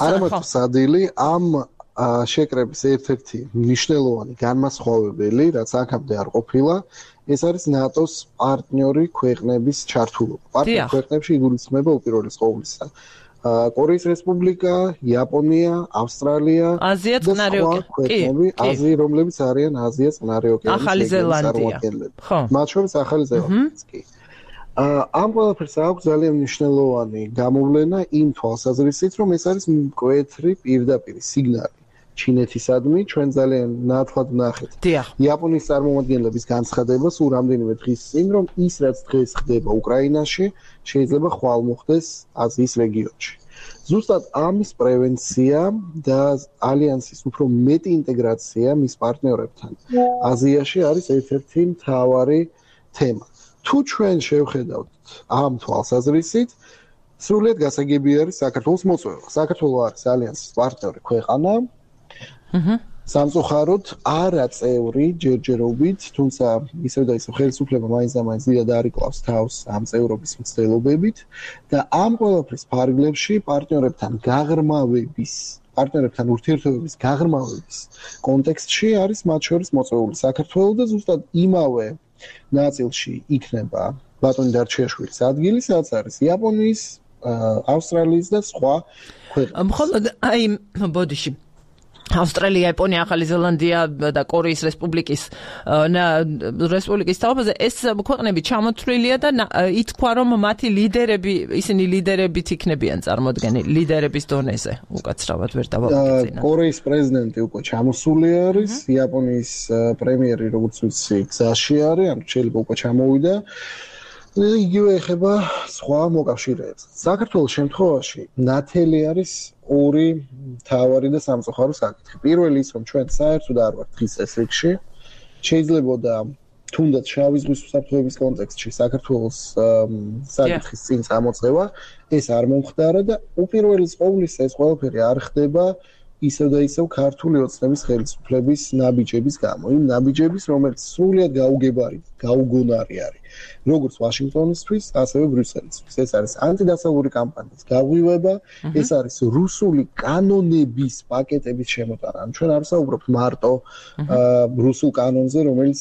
არა მართლა სადილი ამ შეკრების ერთ-ერთი მნიშვნელოვანი განმასხვავებელი, რაც აქამდე არ ყოფილა, ეს არის ნატოს პარტნიორი ქვეყნების ჩართულობა. პარტნიორ ქვეყნებში იგულისხმება უპირველეს ყოვლისა კორეის რესპუბლიკა, იაპონია, ავსტრალია, აზია, წყნარი ოკეანე, აზია, რომლებიც არიან აზია, წყნარი ოკეანის ახალი ზელანდია. ხო. მათ შორის ახალი ზელანდიაც კი. ამ ყველაფერს აქვს ძალიან მნიშვნელოვანი გამოვლენა იმ თვალსაზრისით, რომ ეს არის მკვეთრი პირდაპირ სიგნალი ჩინეთისადმი, ჩვენ ძალიან ნათლად ვნახეთ იაპონიის წარმომადგენლების განცხადება სულ რამდენიმე დღის წინ, რომ ის რაც დღეს ხდება უკრაინაში, შეიძლება ხვალ მოხდეს აზიის რეგიონში. ზუსტად ამის პრევენცია და ალიანსის უფრო მეტი ინტეგრაცია მის პარტნიორებთან აზიაში არის ერთ-ერთი მთავარი თემა. თუ ჩვენ შევხედავთ ამ თვალსაზრისით, სრულიად გასაგები არის საქართველოს მოწვევა. საქართველოს არის ალიანსის პარტნიორი ქვეყანა. აჰა. სამწუხაროდ არა წევრი ჯერჯერობით, თუმცა ისევ და ისევ ხელისუფლება მაინც და მაინც დიდად არიკლავს თავს ამ წევრობის მცდელობებით და ამ ყველაფრის ფარგლებში პარტნიორებთან გაღრმავების, პარტნიორებთან ურთიერთობების გაღრმავების კონტექსტში არის მათ შორის მოწვეული საქართველო და ზუსტად იმავე ნაწილში იქნება ბატონი დარჩიაშვილის ადგილი, სადაც არის იაპონიის, ავსტრალიის და სხვა ქვეყნები. მხოლოდ აი ბოდიში ავსტრალია, იაპონია, ახალი ზელანდია და კორეის რესპუბლიკის რესპუბლიკის თავზე ეს ქვეყნები ჩამოთვლილია და ითქვა რომ მათი ლიდერები, ისინი ლიდერებით იქნებიან წარმოდგენილი ლიდერების დონეზე. უკაცრავად ვერ დავაგეცინა. კორეის პრეზიდენტი უკვე ჩამოსული არის, იაპონიის პრემიერი როგორც ვიცი გზაში არის, ანუ შეიძლება უკვე ჩამოვიდა. იგივე ეხება სხვა მოკავშირეებს. საქართველოს შემთხვევაში ნათელი არის ორი მთავარი და სამწუხარო საკითხი. პირველი ის, რომ ჩვენ საერთოდ არ ვართ დღის წესრიგში, შეიძლებოდა თუნდაც შავი ზღვის უსაფრთხოების კონტექსტში საქართველოს საკითხის წინ წამოწევა, ეს არ მომხდარა და უპირველეს ყოვლისა ეს ყველაფერი არ ხდება ისევ და ისევ ქართული ოცნების ხელისუფლების ნაბიჯების გამო. იმ ნაბიჯების, რომელიც სრულიად გაუგებარი, გაუგონარი არის. როგორც ვაშინგტონისთვის, ასევე ბრიუსელისთვის. ეს არის ანტიდასავლური კამპანიის გაღვივება, ეს არის რუსული კანონების პაკეტების შემოტანა. ჩვენ არ ვსაუბრობთ მარტო რუსულ კანონზე, რომელიც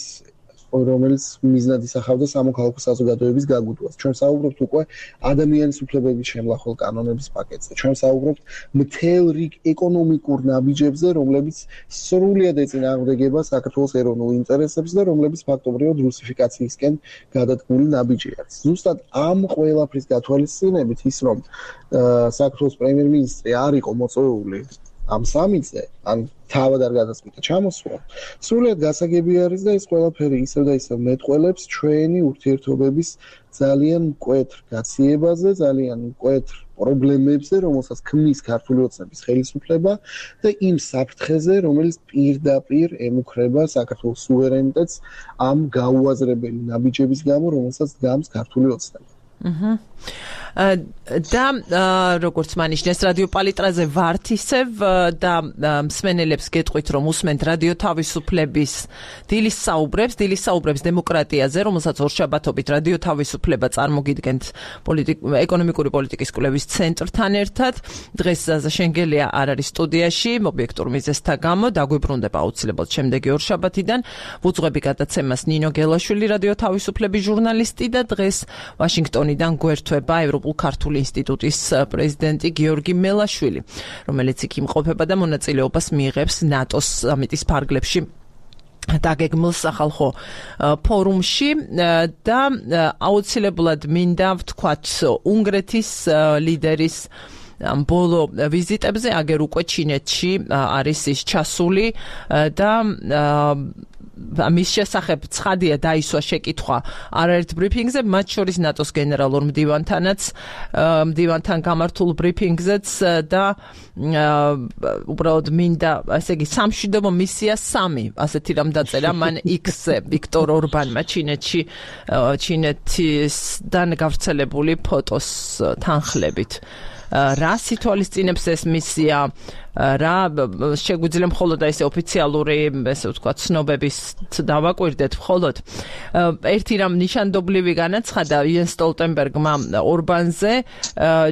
რომელიც მიზნად ისახავდა სამოქალაქო საზოგადოების გაგუძლებას. ჩვენ საუბრობთ უკვე ადამიანის უფლებების შემლახვალ კანონების პაკეტზე. ჩვენ საუბრობთ მთელ რიგ ეკონომიკურ ნაბიჯებზე, რომლებიც სრულად ეწინააღმდეგება საქართველოს ეროვნულ ინტერესებს და რომლებიც ფაქტობრივად რუსიფიკაციისკენ გადადგმული ნაბიჯი არის. ზუსტად ამ ყველაფრის გათვალისწინებით ის რომ საქართველოს პრემიერ-მინისტრი არ იყო მოწვეული ამ სამიტზე, ან თავად არ გადაწყვიტა ჩამოსვლა, სრულად გასაგები არის და ეს ყველაფერი ისევ და ისევ მეტყველებს ჩვენი ურთიერთობების ძალიან მკვეთრ გაციებაზე, ძალიან მკვეთრ პრობლემებზე, რომელსაც ქმნის ქართული ოცნების ხელისუფლება და იმ საფრთხეზე, რომელიც პირდაპირ ემუქრება საქართველოს სუვერენიტეტს ამ გაუაზრებელი ნაბიჯების გამო, რომელსაც დგამს ქართული ოცნება. აჰა. და როგორც მანიშნეს რადიო პალიტრაზე ვართ ისევ და მსმენელებს გეტყვით რომ უსმენთ რადიო თავისუფლების დილის საუბრებს, დილის საუბრებს დემოკრატიაზე, რომელსაც ორშაბათობით რადიო თავისუფლება წარმოგიდგენთ ეკონომიკური პოლიტიკის კვლევის ცენტრთან ერთად. დღეს ზაზა შენგელია არ არის სტუდიაში, ობიექტურ მიზეზთა გამო, დაგვიბრუნდება აუცილებლად შემდეგი ორშაბათიდან. ვუძღვები გადაცემას ნინო გელაშვილი, რადიო თავისუფლების ჟურნალისტი და დღეს ვაშინგტონიდან გვერდება ევროპულ ქართული ინსტიტუტის პრეზიდენტი გიორგი მელაშვილი, რომელიც იქ იმყოფება და მონაწილეობას მიიღებს ნატოს სამიტის ფარგლებში დაგეგმილ სახალხო ფორუმში და აუცილებლად მინდა ვთქვათ უნგრეთის ლიდერის ბოლო ვიზიტებზე, აგერ უკვე ჩინეთში არის ის ჩასული და მის შესახებ ცხადია დაისვა შეკითხვა არაერთ ბრიფინგზე, მათ შორის ნატოს გენერალურ მდივანთანაც, მდივანთან გამართულ ბრიფინგზეც და უბრალოდ მინდა, ასე იგი, სამშვიდობო მისია სამი, ასეთი რამ დაწერა მან X-ზე ვიქტორ ორბანმა ჩინეთში, ჩინეთისგან გავრცელებული ფოტოს თანხლებით. რა სიტუალიზწინებს ეს მისია, რა შეგვიძლია მხოლოდ ესე ოფიციალური, ესე ვთქვათ, ცნობების დავაკვირდეთ მხოლოდ. ერთი რამ ნიშანდობლივი განაცხადა იენს სტოლტენბერგმა ორბანზე,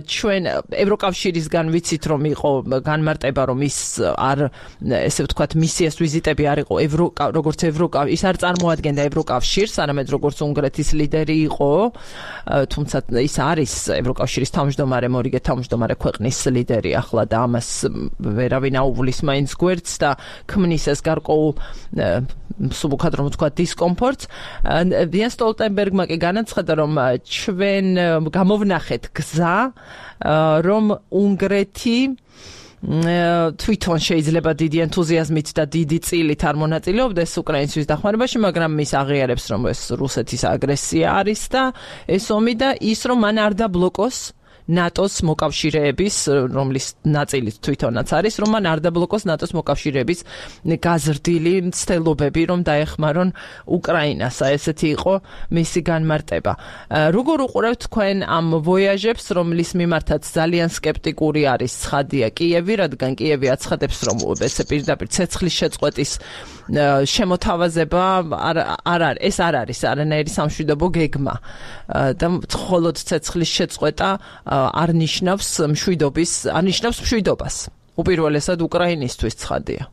ჩვენ ევროკავშირისგან ვიცით რომ იყო განმარტება რომ ის არ ესე ვთქვათ მისიას ვიზიტები არ იყო როგორც ევროკავშირი, ის არ წარმოადგენდა ევროკავშირს, არამედ როგორც უნგრეთის ლიდერი იყო, თუმცა ის არის ევროკავშირის თავმჯდომარე, მორიგე თავმჯდომარე ქვეყნის ლიდერი ახლა და ამას ვერავინ აუვლის მაინც გვერდს და ქმნის ეს გარკვეულ მსუბუქად რომ ვთქვა დისკომფორტს. იენს სტოლტენბერგმა კი განაცხადა რომ ჩვენ გამოვნახეთ გზა, რომ უნგრეთი თვითონ შეიძლება დიდი ენთუზიაზმით და დიდი წილით არ მონაწილეობდეს უკრაინისთვის დახმარებაში, მაგრამ ის აღიარებს რომ ეს რუსეთის აგრესია არის და ეს ომი და ის რომ მან არ დაბლოკოს ნატოს მოკავშირეების, რომლის ნაწილი თვითონაც არის, რომ მან არ დაბლოკოს ნატოს მოკავშირეების გაზრდილი მცდელობები, რომ დაეხმარონ უკრაინას. ესეთი იყო მისი განმარტება. როგორ უყურებთ თქვენ ამ ვოიაჟებს, რომლის მიმართაც ძალიან სკეპტიკური არის ცხადია კიევი, რადგან კიევი აცხადებს, რომ ესე პირდაპირ ცეცხლის შეწყვეტის შემოთავაზება არ არ ეს არ არის არანაირი სამშვიდობო გეგმა და მხოლოდ ცეცხლის შეწყვეტა არ ნიშნავს მშვიდობის, არ ნიშნავს მშვიდობას. უპირველესად უკრაინისთვის ცხადია.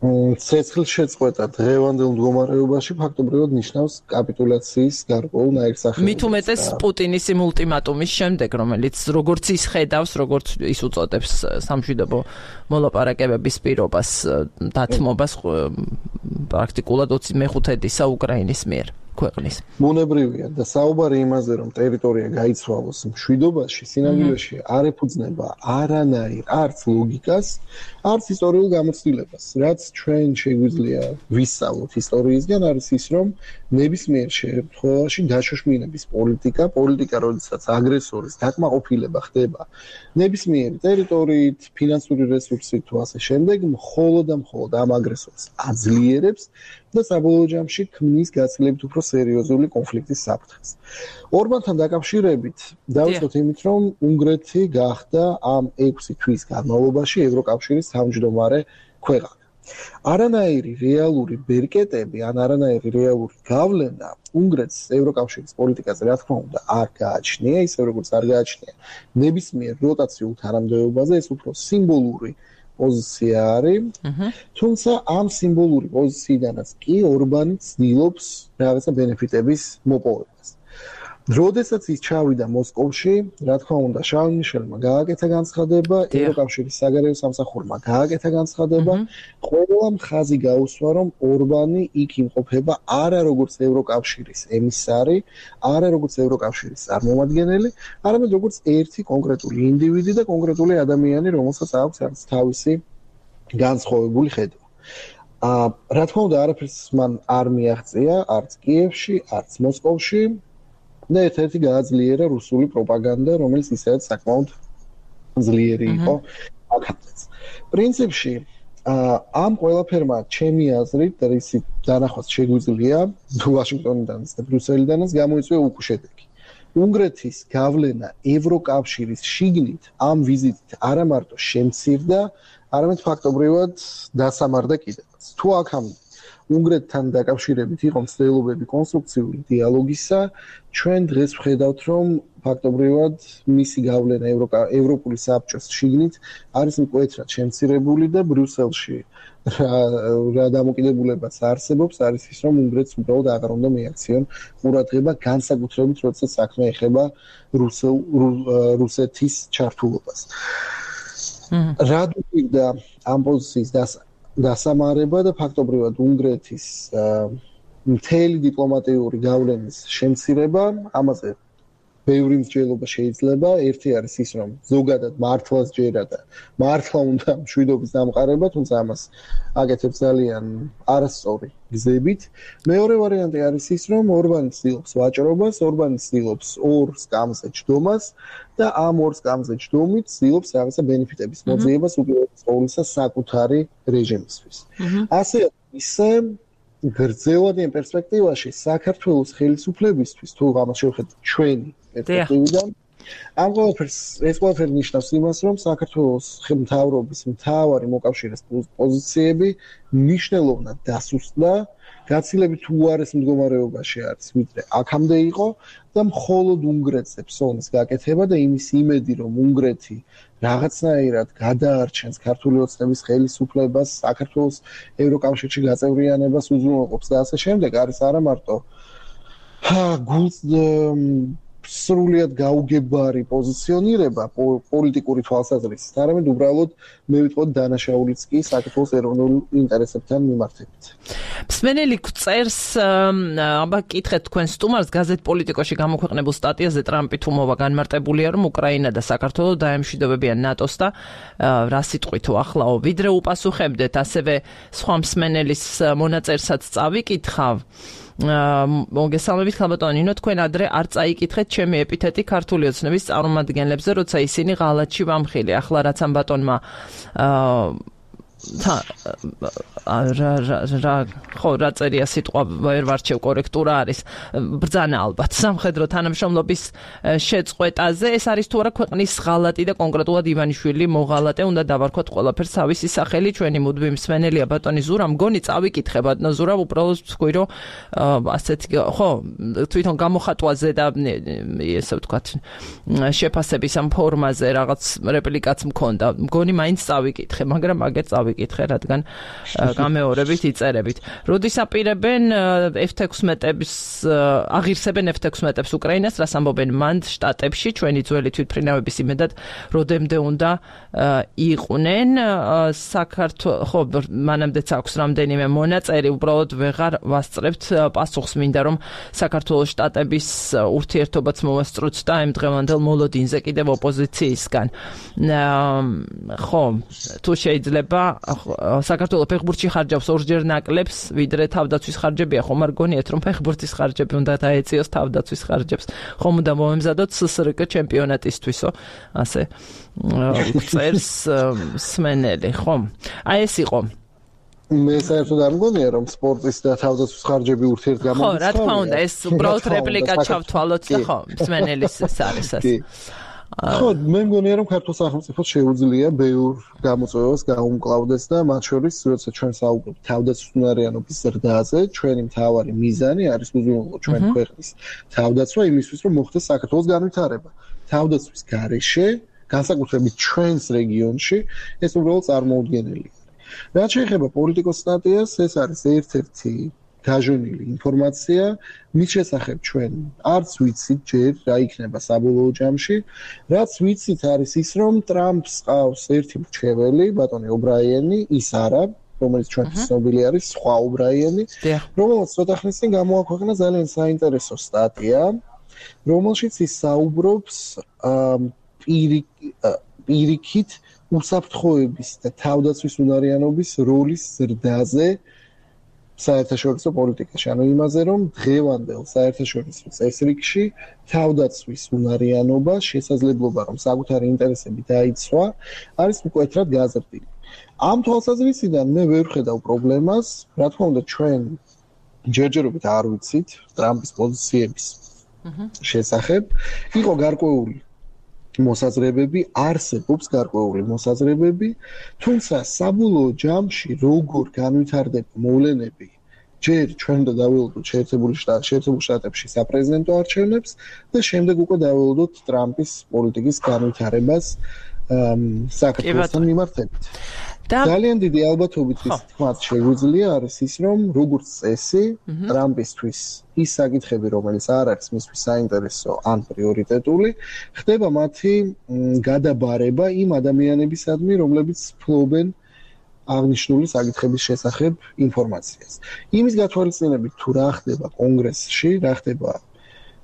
ცეცხლის შეწყვეტა დღევანდელ მდგომარეობაში ფაქტობრივად ნიშნავს კაპიტულაციის გარკვეულ ნაირსახეობას. მით უმეტეს პუტინის იმ ულტიმატუმის შემდეგ, რომელიც როგორც ის ხედავს, როგორც ის უწოდებს სამშვიდობო მოლაპარაკებების პირობას, დათმობას პრაქტიკულად მეხუთედისა უკრაინის მიერ ქვეყნის. მონებრივია და საუბარი იმაზე, რომ ტერიტორია გაიცვალოს მშვიდობაში, სინამდვილეში არ ეფუძნება არანაირ არც ლოგიკას, არც ისტორიულ გამოცდილებას. რაც ჩვენ შეგვიძლია ვისწავლოთ ისტორიისგან, არის ის, რომ ნებისმიერ შემთხვევაში დაშოშმინების პოლიტიკა, პოლიტიკა, როდესაც აგრესორის დაკმაყოფილება ხდება ნებისმიერი ტერიტორიით, ფინანსური რესურსით თუ ასე შემდეგ, მხოლოდ და მხოლოდ ამ აგრესორს აძლიერებს და საბოლოო ჯამში ქმნის გაცილებით უფრო სერიოზული კონფლიქტის საფრთხეს. ორბანთან დაკავშირებით დავიწყოთ იმით, რომ უნგრეთი გახდა ამ ექვსი თვის განმავლობაში ევროკავშირის თავმჯდომარე ქვეყანა. არანაირი რეალური ბერკეტები, ან არანაირი რეალური გავლენა უნგრეთს ევროკავშირის პოლიტიკაზე, რა თქმა უნდა, არ გააჩნია, ისე როგორც არ გააჩნია ნებისმიერ როტაციულ თანამდებობაზე, ეს უფრო სიმბოლური პოზიცია არის. თუმცა ამ სიმბოლური პოზიციიდანაც კი ორბანი ცდილობს რაღაცა ბენეფიტების მოპოვებას. როდესაც ის ჩავიდა მოსკოვში, რა თქმა უნდა, შარლ მიშელმა გააკეთა განცხადება, ევროკავშირის საგარეო სამსახურმა გააკეთა განცხადება, ყველა მხაზი გაუსვა, რომ ორბანი იქ იმყოფება არა როგორც ევროკავშირის ემისარი, არა როგორც ევროკავშირის წარმომადგენელი, არამედ როგორც ერთი კონკრეტული ინდივიდი და კონკრეტული ადამიანი, რომელსაც აქვს რაღაც თავისი განსხვავებული ხედვა. აა, რა თქმა უნდა, არაფერს მან არ მიაღწია, არც კიევში, არც მოსკოვში. და ერთ-ერთი გააძლიერა რუსული პროპაგანდა, რომელიც ისედაც საკმაოდ ძლიერი იყო აქაც. პრინციპში, ამ ყველაფერმა ჩემი აზრით, რისი დანახვაც შეგვიძლია, ვაშინგტონიდანაც და ბრიუსელიდანაც გამოიწვია უკუშედეგი. უნგრეთის გავლენა ევროკავშირის შიგნით ამ ვიზიტით არა მარტო შემცირდა, არამედ ფაქტობრივად დასამარდა კიდევაც. თუ აქამდე უნგრეთთან დაკავშირებით იყო მცდელობები კონსტრუქციული დიალოგისა, ჩვენ დღეს ვხედავთ, რომ ფაქტობრივად მისი გავლენა ევროპული საბჭოს შიგნით არის მკვეთრად შემცირებული და ბრიუსელში რა დამოკიდებულებაც არსებობს, არის ის, რომ უნგრეთს უბრალოდ აღარ უნდა მიაქციონ ყურადღება, განსაკუთრებით როდესაც საქმე ეხება რუსეთის ჩართულობას. რა გვინდა ამ პოზიციის დასა დასამარება და ფაქტობრივად უნგრეთის მთელი დიპლომატიური გავლენის შემცირება, ამაზე ბევრი მსჯელობა შეიძლება. ერთი არის ის, რომ ზოგადად მართლაც ჯერა და მართლა უნდა მშვიდობის დამყარება, თუმცა ამას აკეთებს ძალიან არასწორი გზებით. მეორე ვარიანტი არის ის, რომ ორბანი ცდილობს ვაჭრობას, ორბანი ცდილობს ორ სკამზე ჯდომას და ამ ორ სკამზე ჯდომით ცდილობს რაღაცა ბენეფიტების მოძიებას უპირველეს ყოვლისა საკუთარი რეჟიმისთვის. ასე ისე გრძელვადიან პერსპექტივაში საქართველოს ხელისუფლებისთვის, თუ ამას შევხედოთ ჩვენი პერსპექტივიდან, ამ ყველაფერს ეს ყველაფერი ნიშნავს იმას, რომ საქართველოს მთავრობის მთავარი მოკავშირეს პოზიციები მნიშვნელოვნად დასუსტდა, გაცილებით უარეს მდგომარეობაში არის, ვიდრე აქამდე იყო და მხოლოდ უნგრეთზე ფსოვნის გაკეთება და იმის იმედი, რომ უნგრეთი რაღაცნაირად გადაარჩენს ქართული ოცნების ხელისუფლებას, საქართველოს ევროკავშირში გაწევრიანებას უზრუნველყოფს და ასე შემდეგ, არის არა მარტო გულს სრულიად გაუგებარი პოზიციონირება პოლიტიკური თვალსაზრისით, არამედ უბრალოდ მე ვიტყოდ დანაშაულიც კი საქართველოს ეროვნულ ინტერესებთან მიმართებით. მსმენელი წერს, აბა კითხეთ თქვენ სტუმარს გაზეთ პოლიტიკოში გამოქვეყნებულ სტატიაზე ტრამპი თუ მოვა განმარტებულია, რომ უკრაინა და საქართველო დაემშვიდობებიან ნატოს და რა სიტყვით ახლაო, ვიდრე უპასუხებდეთ, ასევე სხვა მსმენელის მონაწერსაც წავიკითხავ. მოგესალმებით ხალბატონო ნინო, თქვენ ადრე არ წაიკითხეთ ჩემი ეპითეტი ქართული ოცნების წარმომადგენლებზე, როცა ისინი ღალატში ვამხილი. ახლა რაც ამ ბატონმა რა რა ხო რა წერია სიტყვა ვერ ვარჩევ კორექტურა არის ბრძანა ალბათ სამხედრო თანამშრომლობის შეწყვეტაზე. ეს არის თუ არა ქვეყნის ღალატი და კონკრეტულად ივანიშვილი მოღალატე, უნდა დავარქვათ ყველაფერს თავისი სახელი. ჩვენი მუდმივი მსმენელია ბატონი ზურა, მგონი წავიკითხე ბატონო ზურა, უბრალოდ თქვი რომ ასეთი ხო თვითონ გამოხატვაზე და ესე ვთქვათ შეფასების ამ ფორმაზე რაღაც რეპლიკაც მქონდა, მგონი მაინც წავიკითხე, მაგრამ აგერ წავიკითხე, რადგან გამეორებით იწერებით. როდის აპირებენ ეფ თექვსმეტების აღირსებენ ეფ თექვსმეტებს უკრაინას, რას ამბობენ მან შტატებში, ჩვენი ძველი თვითმფრინავების იმედად როდემდე უნდა იყვნენ. საქართველოს ხო მანამდეც აქვს რამდენიმე მონაწერი, უბრალოდ ვეღარ ვასწრებთ პასუხს, მინდა რომ საქართველოს შტატების ურთიერთობაც მოვასწროთ და ამ დღევანდელ მოლოდინზე კიდევ ოპოზიციისგან. ხო, თუ შეიძლება საქართველოს ფეხბურთში ხარჯავს ორჯერ ნაკლებს, ვიდრე თავდაცვის ხარჯებია, ხომ არ გონიათ რომ ფეხბურთის ხარჯები უნდა დაეწიოს თავდაცვის ხარჯებს, ხომ უნდა მომემზადოთ ეს ეს რკ ჩემპიონატისთვისო, ასე წერს მსმენელი, ხო? აი ეს იყო. მე საერთოდ არ მგონია რომ სპორტის და თავდაცვის ხარჯები ურთიერთგამოწესებია. ხო, რა თქმა უნდა, ეს უბრალოდ რეპლიკა ჩავთვალოთ და ხო, მსმენელის ეს არის ეს. ხო, მე მგონია რომ ქართულ სახელმწიფოს შეუძლია ბევრ გამოწვევას გაუმკლავდეს და მათ შორის, როცა ჩვენ საუბრობთ თავდაცვისუნარიანობის ზრდაზე, ჩვენი მთავარი მიზანი არის უზრუნველყო ჩვენ ქვეყნის თავდაცვა იმისთვის, რომ მოხდეს საქართველოს განვითარება. თავდაცვის გარეშე განსაკუთრებით ჩვენს რეგიონში ეს უბრალოდ წარმოუდგენელი. რაც შეეხება პოლიტიკოს სტატიას, ეს არის ერთ-ერთი გაჟონილი ინფორმაცია, მის შესახებ ჩვენ არც ვიცით ჯერ რა იქნება საბოლოო ჯამში, რაც ვიცით არის ის, რომ ტრამპს ყავს ერთი მრჩეველი, ბატონი ობრაიანი, ის არა, რომელიც ჩვენთვის ცნობილი არის, სხვა ობრაიანი, რომელსაც ცოტა ხნის წინ გამოაქვეყნა ძალიან საინტერესო სტატია, რომელშიც ის საუბრობს პირიქით უსაფრთხოების და თავდაცვის უნარიანობის როლის ზრდაზე საერთაშორისო პოლიტიკაში, ანუ იმაზე, რომ დღევანდელ საერთაშორისო წესრიგში თავდაცვის უნარიანობა, შესაძლებლობა, რომ საკუთარი ინტერესები დაიცვა, არის მკვეთრად გაზრდილი. ამ თვალსაზრისიდან მე ვერ ვხედავ პრობლემას, რა თქმა უნდა, ჩვენ ჯერჯერობით არ ვიცით ტრამპის პოზიციების შესახებ, იყო გარკვეული მოსაზრებები, არსებობს გარკვეული მოსაზრებები, თუმცა საბოლოო ჯამში როგორ განვითარდება მოვლენები, ჯერ ჩვენ და დაველოდოთ შეერთებული შტატ, შეერთებულ შტატებში საპრეზიდენტო არჩევნებს და შემდეგ უკვე დაველოდოთ ტრამპის პოლიტიკის განვითარებას საქართველოსთან მიმართებით. ძალიან დიდი ალბათობით ის თქმაც შეგვიძლია არის ის, რომ როგორც წესი, ტრამპისთვის ის საკითხები, რომელიც არ არის მისთვის საინტერესო ან პრიორიტეტული, ხდება მათი გადაბარება იმ ადამიანებისადმი, რომლებიც ფლობენ აღნიშნული საკითხების შესახებ ინფორმაციას. იმის გათვალისწინებით თუ რა ხდება კონგრესში, რა ხდება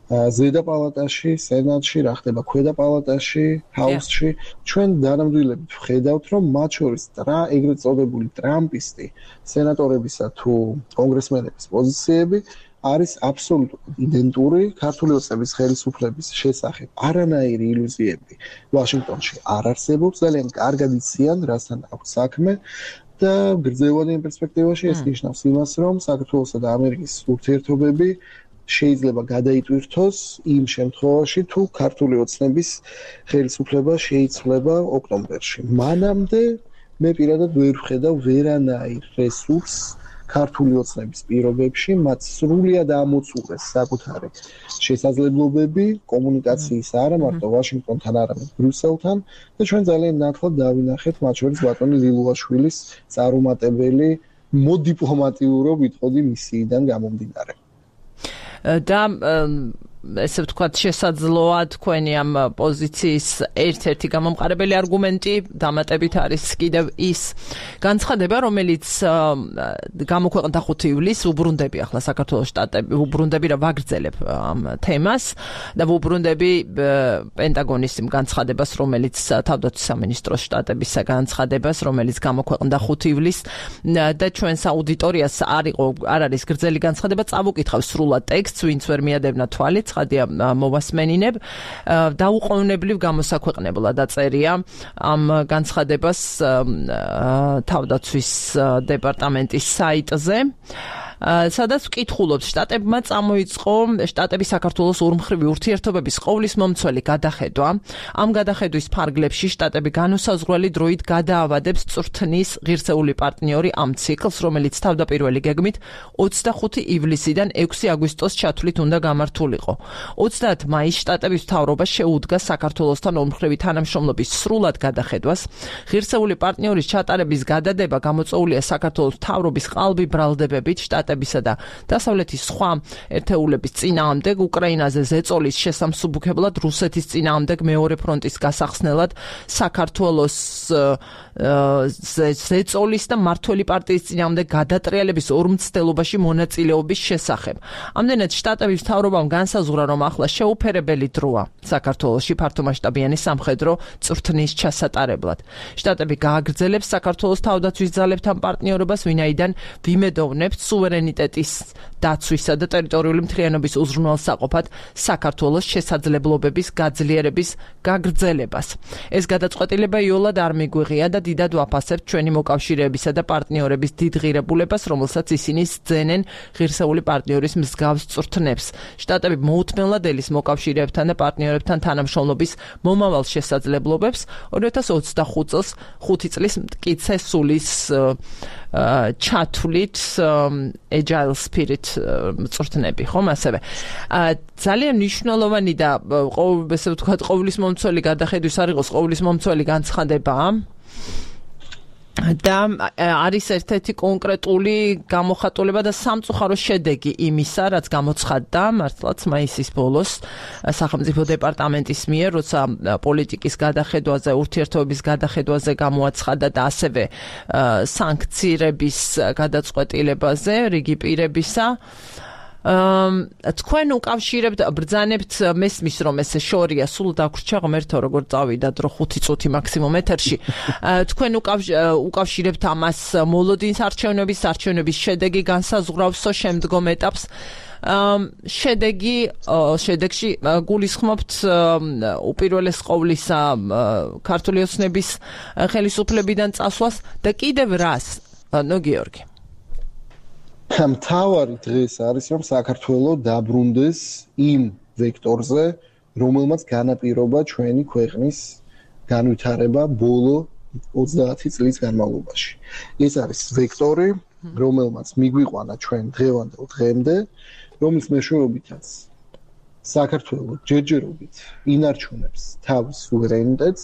ზედა პალატაში, სენატში, რა ხდება ქვედა პალატაში, ჰაუსში, ჩვენ დანამდვილებით ვხედავთ, რომ მათ შორის რა ეგრეთ წოდებული ტრამპისტი სენატორებისა თუ კონგრესმენების პოზიციები არის აბსოლუტურად იდენტური ქართული ოცნების ხელისუფლების შესახებ. არანაირი ილუზიები ვაშინგტონში არ არსებობს, ძალიან კარგად იციან, რასთან აქვს საქმე და გრძელვადიან პერსპექტივაში ეს ნიშნავს იმას, რომ საქართველოსა და ამერიკის ურთიერთობები შეიძლება გადაიტვირთოს იმ შემთხვევაში, თუ ქართული ოცნების ხელისუფლება შეიცვლება ოქტომბერში. მანამდე მე პირადად ვერ ვხედავ ვერანაირ რესურსს ქართული ოცნების პირობებში, მათ სრულიად ამოწურეს საკუთარი შესაძლებლობები კომუნიკაციის არა მარტო ვაშინგტონთან, არამედ ბრიუსელთან და ჩვენ ძალიან ნათლად დავინახეთ მათ შორის ბატონი ლილუაშვილის წარუმატებელი მოდიპლომატიურო ვიტყოდი მისიიდან გამომდინარე. და ესე ვთქვათ, შესაძლოა თქვენი ამ პოზიციის ერთ-ერთი გამომყარებელი არგუმენტი დამატებით არის კიდევ ის განცხადება, რომელიც გამოქვეყნდა ხუთი ივლისს, უბრუნდები ახლა საქართველოს შტატები, უბრუნდები რა ვაგრძელებ ამ თემას და უბრუნდები პენტაგონის იმ განცხადებას, რომელიც თავდაცვის სამინისტროს შტატებისა განცხადებას, რომელიც გამოქვეყნდა ხუთი ივლისს და ჩვენს აუდიტორიას არ იყო არ არის გრძელი განცხადება, წავუკითხავ სრულად ტექსტს, ვინც ვერ მიადებნა თვალით ხადია მოვასმენინებ დაუყოვნებლივ გამოსაქვეყნებლა დაწერია ამ განცხადებას თავდაცვის დეპარტამენტის საიტზე სადაც ვკითხულობთ შტატებმა წამოიწყო შტატების საქართველოს ორმხრივი ურთიერთობების ყოვლის მომცველი გადახედვა ამ გადახედვის ფარგლებში შტატები განუსაზღვრელი დროით გადაავადებს წვრთნის ღირსეული პარტნიორი ამ ციკლს რომელიც თავდაპირველი გეგმით ოცდახუთი ივლისიდან ექვსი აგვისტოს ჩათვლით უნდა გამართულიყო ოცდაათ მაისს შტატების მთავრობა შეუდგა საქართველოსთან ორმხრივი თანამშრომლობის სრულად გადახედვას ღირსეული პარტნიორის ჩატარების გადადება გამოწვეულია საქართველოს მთავრობის ყალბი ბრალდებებით შტატებისა და დასავლეთის სხვა ერთეულების წინააღმდეგ უკრაინაზე ზეწოლის შესამსუბუქებლად რუსეთის წინააღმდეგ მეორე ფრონტის გასახსნელად საქართველოს ზეწოლის და მართველი პარტიის წინააღმდეგ გადატრიალების ორმცდელობაში მონაწილეობის შესახებ. ამდენად შტატების მთავრობამ განსაზღვრა, რომ ახლა შეუფერებელი დროა საქართველოში ფართომასშტაბიანი სამხედრო წვრთნის ჩასატარებლად. შტატები გააგრძელებს საქართველოს თავდაცვის ძალებთან პარტნიორობას, ვინაიდან ვიმედოვნებთ სუვერენიტეტის დაცვისა და ტერიტორიული მთლიანობის უზრუნველსაყოფად საქართველოს შესაძლებლობების გაძლიერების გაგრძელებას. ეს გადაწყვეტილება იოლად არ მიგვიღია და დიდად ვაფასებთ ჩვენი მოკავშირეებისა და პარტნიორების დიდ ღირებულებას, რომელსაც ისინი სძენენ ღირსეული პარტნიორის მსგავს წვრთნებს. შტატები მოუთმენლად ელის მოკავშირეებთან და პარტნიორებთან თანამშრომლობის მომავალ შესაძლებლობებს ორი ათას ოცდახუთ წელს ხუთი წლის მტკიცე სულის ჩათვლით agile spirit მწვრთნები, ხომ ასევე. ძალიან მნიშვნელოვანი და ესე ვთქვათ, ყოვლის მომცველი გადახედვის არ იყოს ყოვლის მომცველი განცხადება და არის ერთ-ერთი კონკრეტული გამოხატულება და სამწუხარო შედეგი იმისა, რაც გამოცხადდა მართლაც მაისის ბოლოს სახელმწიფო დეპარტამენტის მიერ, როცა პოლიტიკის გადახედვაზე, ურთიერთობების გადახედვაზე გამოაცხადა და ასევე სანქციების გადაწყვეტილებაზე რიგი პირებისა. თქვენ უკავშირებთ, ბრძანებთ, მესმის რომ ესე შორია, სულ დაგვრჩა ღმერთო როგორ წავიდა დრო ხუთი წუთი მაქსიმუმ ეთერში. თქვენ უკავშირებთ ამას მოლოდინის არჩევნების, არჩევნების შედეგი განსაზღვრავსო შემდგომ ეტაპს. შედეგი, შედეგში გულისხმობთ უპირველეს ყოვლისა ქართული ოცნების ხელისუფლებიდან წასვლას და კიდევ რას, ნო გიორგი? მთავარი დღეს არის რომ საქართველოს დაბრუნდეს იმ ვექტორზე, რომელმაც განაპირობა ჩვენი ქვეყნის განვითარება ბოლო ოცდაათი წლის განმავლობაში. ეს არის ვექტორი, რომელმაც მიგვიყვანა ჩვენ დღევანდელ დღემდე, რომლის მეშვეობითაც საქართველოს ჯერჯერობით ინარჩუნებს თავის სუვერენიტეტს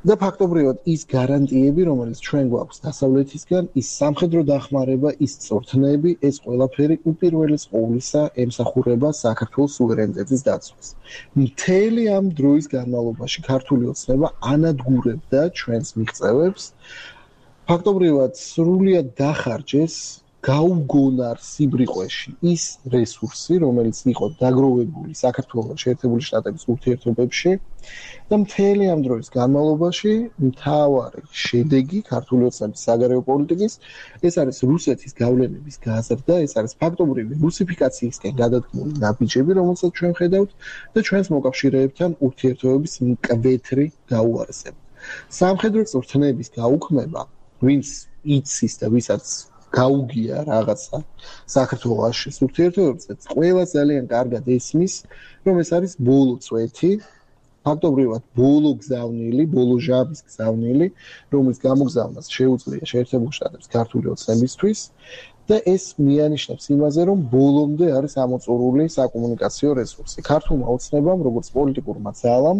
და ფაქტობრივად ის გარანტიები, რომელიც ჩვენ გვაქვს დასავლეთისგან, ის სამხედრო დახმარება, ის წვრთნები, ეს ყველაფერი უპირველეს ყოვლისა ემსახურება საქართველოს სუვერენიტეტის დაცვას. მთელი ამ დროის განმავლობაში ქართული ოცნება ანადგურებდა ჩვენს მიღწევებს. ფაქტობრივად სრულიად დახარჯეს გაუგონარ სიბრიყვეში ის რესურსი, რომელიც იყო დაგროვებული საქართველოს შეერთებული შტატების ურთიერთობებში და მთელი ამ დროის განმავლობაში მთავარი შედეგი ქართული ოცნების საგარეო პოლიტიკის ეს არის რუსეთის გავლენების გაზრდა, ეს არის ფაქტობრივი რუსიფიკაციისკენ გადადგმული ნაბიჯები, რომელსაც ჩვენ ხედავთ და ჩვენს მოკავშირეებთან ურთიერთობების მკვეთრი გაუარესება. სამხედრო წვრთნების გაუქმება, ვინც იცის და ვისაც გაუგია რაღაცა საქართველოს ურთიერთობებზე, ყველა ძალიან კარგად ესმის, რომ ეს არის ბოლო წვეთი, ფაქტობრივად ბოლო გზავნილი, ბოლო ჟამის გზავნილი, რომლის გამოგზავნას შეუძლია შეერთებული შტატების ქართული ოცნებისთვის და ეს მიანიშნებს იმაზე, რომ ბოლომდე არის ამოწურული საკომუნიკაციო რესურსი. ქართულმა ოცნებამ, როგორც პოლიტიკურმა ძალამ,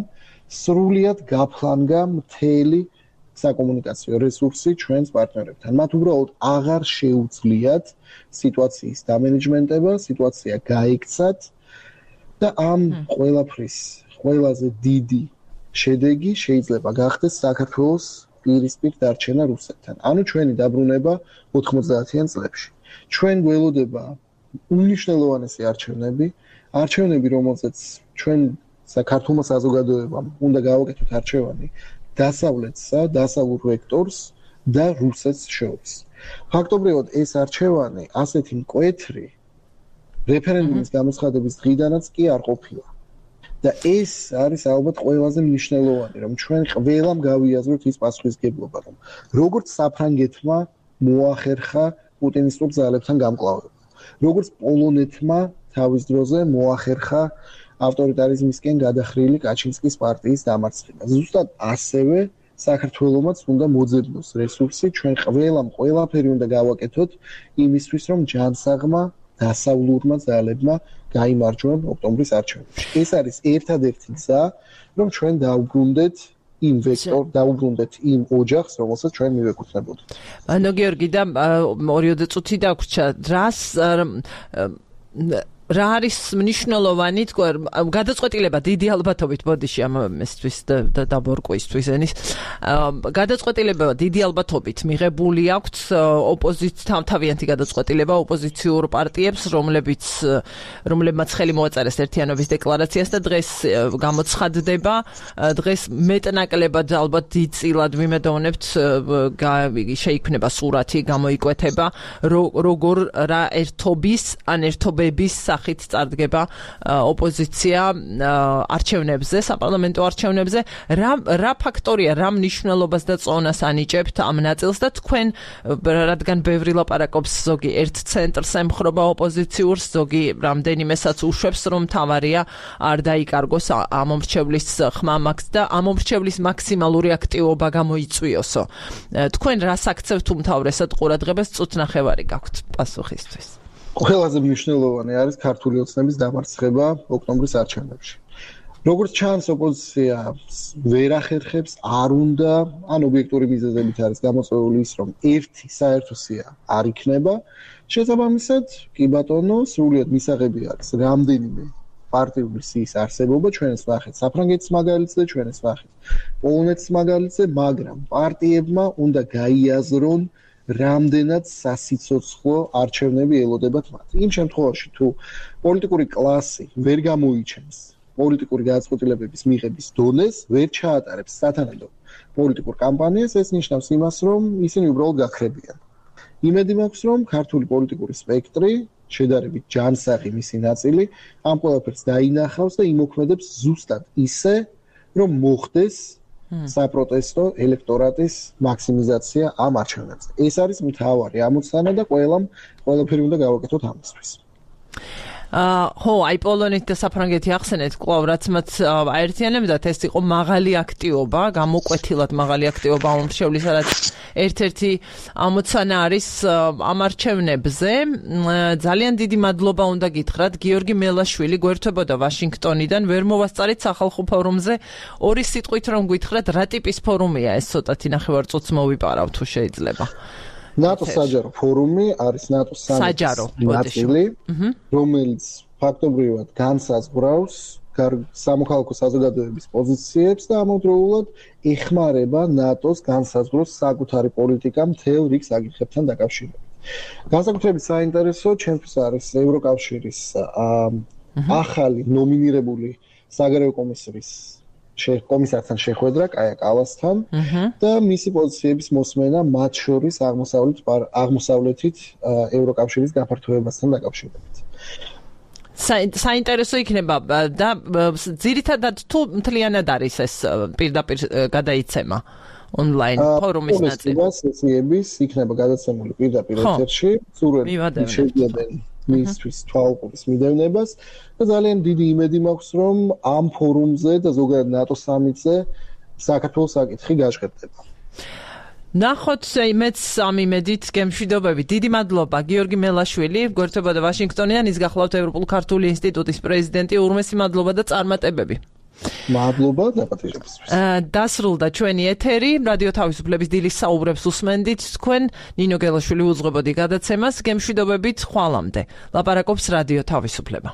სრულიად გაფლანგა მთელი საკომუნიკაციო რესურსი ჩვენს პარტნიორებთან. მათ უბრალოდ აღარ შეუძლიათ სიტუაციის დამენეჯმენტება, სიტუაცია გაიქცათ და ამ ყველაფრის ყველაზე დიდი შედეგი შეიძლება გახდეს საქართველოს პირისპირ დარჩენა რუსეთთან. ანუ ჩვენი დაბრუნება ოთხმოცდაათიან წლებში. ჩვენ გველოდება უმნიშვნელოვანესი არჩევნები, არჩევნები, რომელზეც ჩვენ საქართველოს საზოგადოებამ უნდა გავაკეთოთ არჩევანი დასავლეთსა, დასავლურ ვექტორს და რუსეთს შორის. ფაქტობრივად ეს არჩევანი ასეთი მკვეთრი რეფერენდუმის გამოცხადების დღიდანაც კი არ ყოფილა. და ეს არის ალბათ ყველაზე მნიშვნელოვანი, რომ ჩვენ ყველამ გავიაზროთ ის პასუხისგებლობა, რომ როგორც საფრანგეთმა მოახერხა პუტინისტურ ძალებთან გამკლავება, როგორც პოლონეთმა თავის დროზე მოახერხა ავტორიტარიზმისკენ გადახრილი კაჩინსკის პარტიის დამარცხება. ზუსტად ასევე საქართველოსაც უნდა მოძებნოს რესურსი, ჩვენ ყველამ ყველაფერი უნდა გავაკეთოთ იმისთვის, რომ ჯანსაღმა დასავლურმა ძალებმა გაიმარჯვონ ოქტომბრის არჩევნებში. ეს არის ერთადერთი გზა, რომ ჩვენ დავუბრუნდეთ იმ ვექტორ, დავუბრუნდეთ იმ ოჯახს, რომელსაც ჩვენ მივეკუთვნებოდით. ანუ გიორგი და ორიოდე წუთი დაგვრჩა, რას რა არის მნიშვნელოვანი თქვა გადაწყვეტილება დიდი ალბათობით ბოდიში ამისთვის და დაბორკვისთვის ენის გადაწყვეტილება დიდი ალბათობით მიღებული აქვს ოპოზიციამ თავიანთი გადაწყვეტილება ოპოზიციურ პარტიებს რომლებიც რომლებმაც ხელი მოაწერეს ერთიანობის დეკლარაციას და დღეს გამოცხადდება დღეს მეტნაკლებად ალბათ დიდწილად ვიმედოვნებთ შეიქმნება სურათი გამოიკვეთება როგორ რა ერთობის ან ერთობების სახით წარდგება ოპოზიცია არჩევნებზე, საპარლამენტო არჩევნებზე. რა რა ფაქტორია, რა მნიშვნელობას და წონას ანიჭებთ ამ ნაწილს და თქვენ, რადგან ბევრი ლაპარაკობს, ზოგი ერთ ცენტრს ემხრობა ოპოზიციურს, ზოგი რამდენიმესაც უშვებს, რომ თავარია არ დაიკარგოს ამომრჩევლის ხმა მაქვს და ამომრჩევლის მაქსიმალური აქტივობა გამოიწვიოსო. თქვენ რას აქცევთ უმთავრესად ყურადღებას, წუთნახევარი გაქვთ პასუხისთვის? ყველაზე მნიშვნელოვანი არის ქართული ოცნების დამარცხება ოქტომბრის არჩევნებში. როგორც ჩანს, ოპოზიცია ვერ ახერხებს, არ უნდა, ან ობიექტური მიზეზებით არის გამოწვეული ის, რომ ერთი საერთო სია არ იქნება. შესაბამისად, კი ბატონო, სრულიად მისაღები არის რამდენიმე პარტიული სიის არსებობა, ჩვენს ნახეთ საფრანგეთის მაგალითზე, ჩვენს ნახეთ პოლონეთის მაგალითზე, მაგრამ პარტიებმა უნდა გაიაზრონ, რამდენად სასიცოცხლო არჩევნები ელოდებათ მათ. იმ შემთხვევაში, თუ პოლიტიკური კლასი ვერ გამოიჩენს პოლიტიკური გადაწყვეტილებების მიღების დონეს, ვერ ჩაატარებს სათანადო პოლიტიკურ კამპანიას, ეს ნიშნავს იმას, რომ ისინი უბრალოდ გაქრებიან. იმედი მაქვს, რომ ქართული პოლიტიკური სპექტრი, შედარებით ჯანსაღი მისი ნაწილი, ამ ყველაფერს დაინახავს და იმოქმედებს ზუსტად ისე, რომ მოხდეს საპროტესტო ელექტორატის მაქსიმიზაცია ამ არჩევნებზე. ეს არის მთავარი ამოცანა და ყველამ ყველაფერი უნდა გავაკეთოთ ამისთვის. აა ხო, აი პოლონეთი და საფრანგეთი ახსენეთ, კვლავ რაც მათ აერთიანებდათ, ეს იყო მაღალი აქტივობა, გამოკვეთილად მაღალი აქტივობა ამომრჩევლის, რაც ერთ-ერთი ამოცანა არის ამ არჩევნებზე. ძალიან დიდი მადლობა უნდა გითხრათ, გიორგი მელაშვილი გვერდებოდა ვაშინგტონიდან, ვერ მოვასწარით სახალხო ფორუმზე. ორი სიტყვით რომ გითხრათ, რა ტიპის ფორუმია ეს, ცოტათი ნახევარწუთს მოვიპარავ თუ შეიძლება. ნატოს საჯარო ფორუმი არის ნატოს სამიტი, რომელიც ფაქტობრივად განსაზღვრავს სამოქალაქო საზოგადოების პოზიციებს და ამავდროულად ეხმარება ნატოს განსაზღვროს საკუთარი პოლიტიკა მთელ რიგ საკითხებთან დაკავშირებით. განსაკუთრებით საინტერესო ჩემთვის არის ევროკავშირის ახალი ნომინირებული საგარეო კომისრის კომისართან შეხვედრა კაია კალასთან და მისი პოზიციების მოსმენა მათ შორის აღმოსავლეთ აღმოსავლეთით ევროკავშირის გაფართოებასთან დაკავშირებით. საინტერესო იქნება და ძირითადად თუ მთლიანად არის ეს პირდაპირ გადაიცემა ონლაინ ფორუმის ნაწილი. სესიების იქნება გადაცემული პირდაპირ ეთერში, სურვილი შეგიებენ მისთვის თვალყურის მიდევნებას და ძალიან დიდი იმედი მაქვს, რომ ამ ფორუმზე და ზოგადად ნატოს სამიტზე საქართველოს საკითხი გაჟღერდება. ნახოთ მეც ამ იმედით გემშვიდობები. დიდი მადლობა გიორგი მელაშვილი, გვერდებოდა ვაშინგტონიდან, ის გახლავთ ევროპულ ქართული ინსტიტუტის პრეზიდენტი. ურმესი მადლობა და წარმატებები. მადლობა დაპატიჟებისთვის. დასრულდა ჩვენი ეთერი, რადიო თავისუფლების დილის საუბრებს უსმენდით თქვენ, ნინო გელაშვილი უძღვებოდი გადაცემას, გემშვიდობებით ხვალამდე. ლაპარაკობს რადიო თავისუფლება.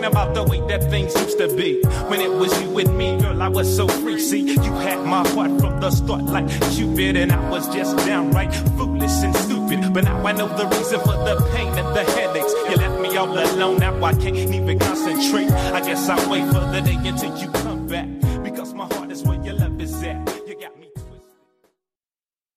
about the way that things used to be. When it was you with me, girl, I was so free. See, you had my heart from the start like Cupid, and I was just downright foolish and stupid. But now I know the reason for the pain and the headaches. You left me all alone, now I can't even concentrate. I guess I'll wait for the day until you come.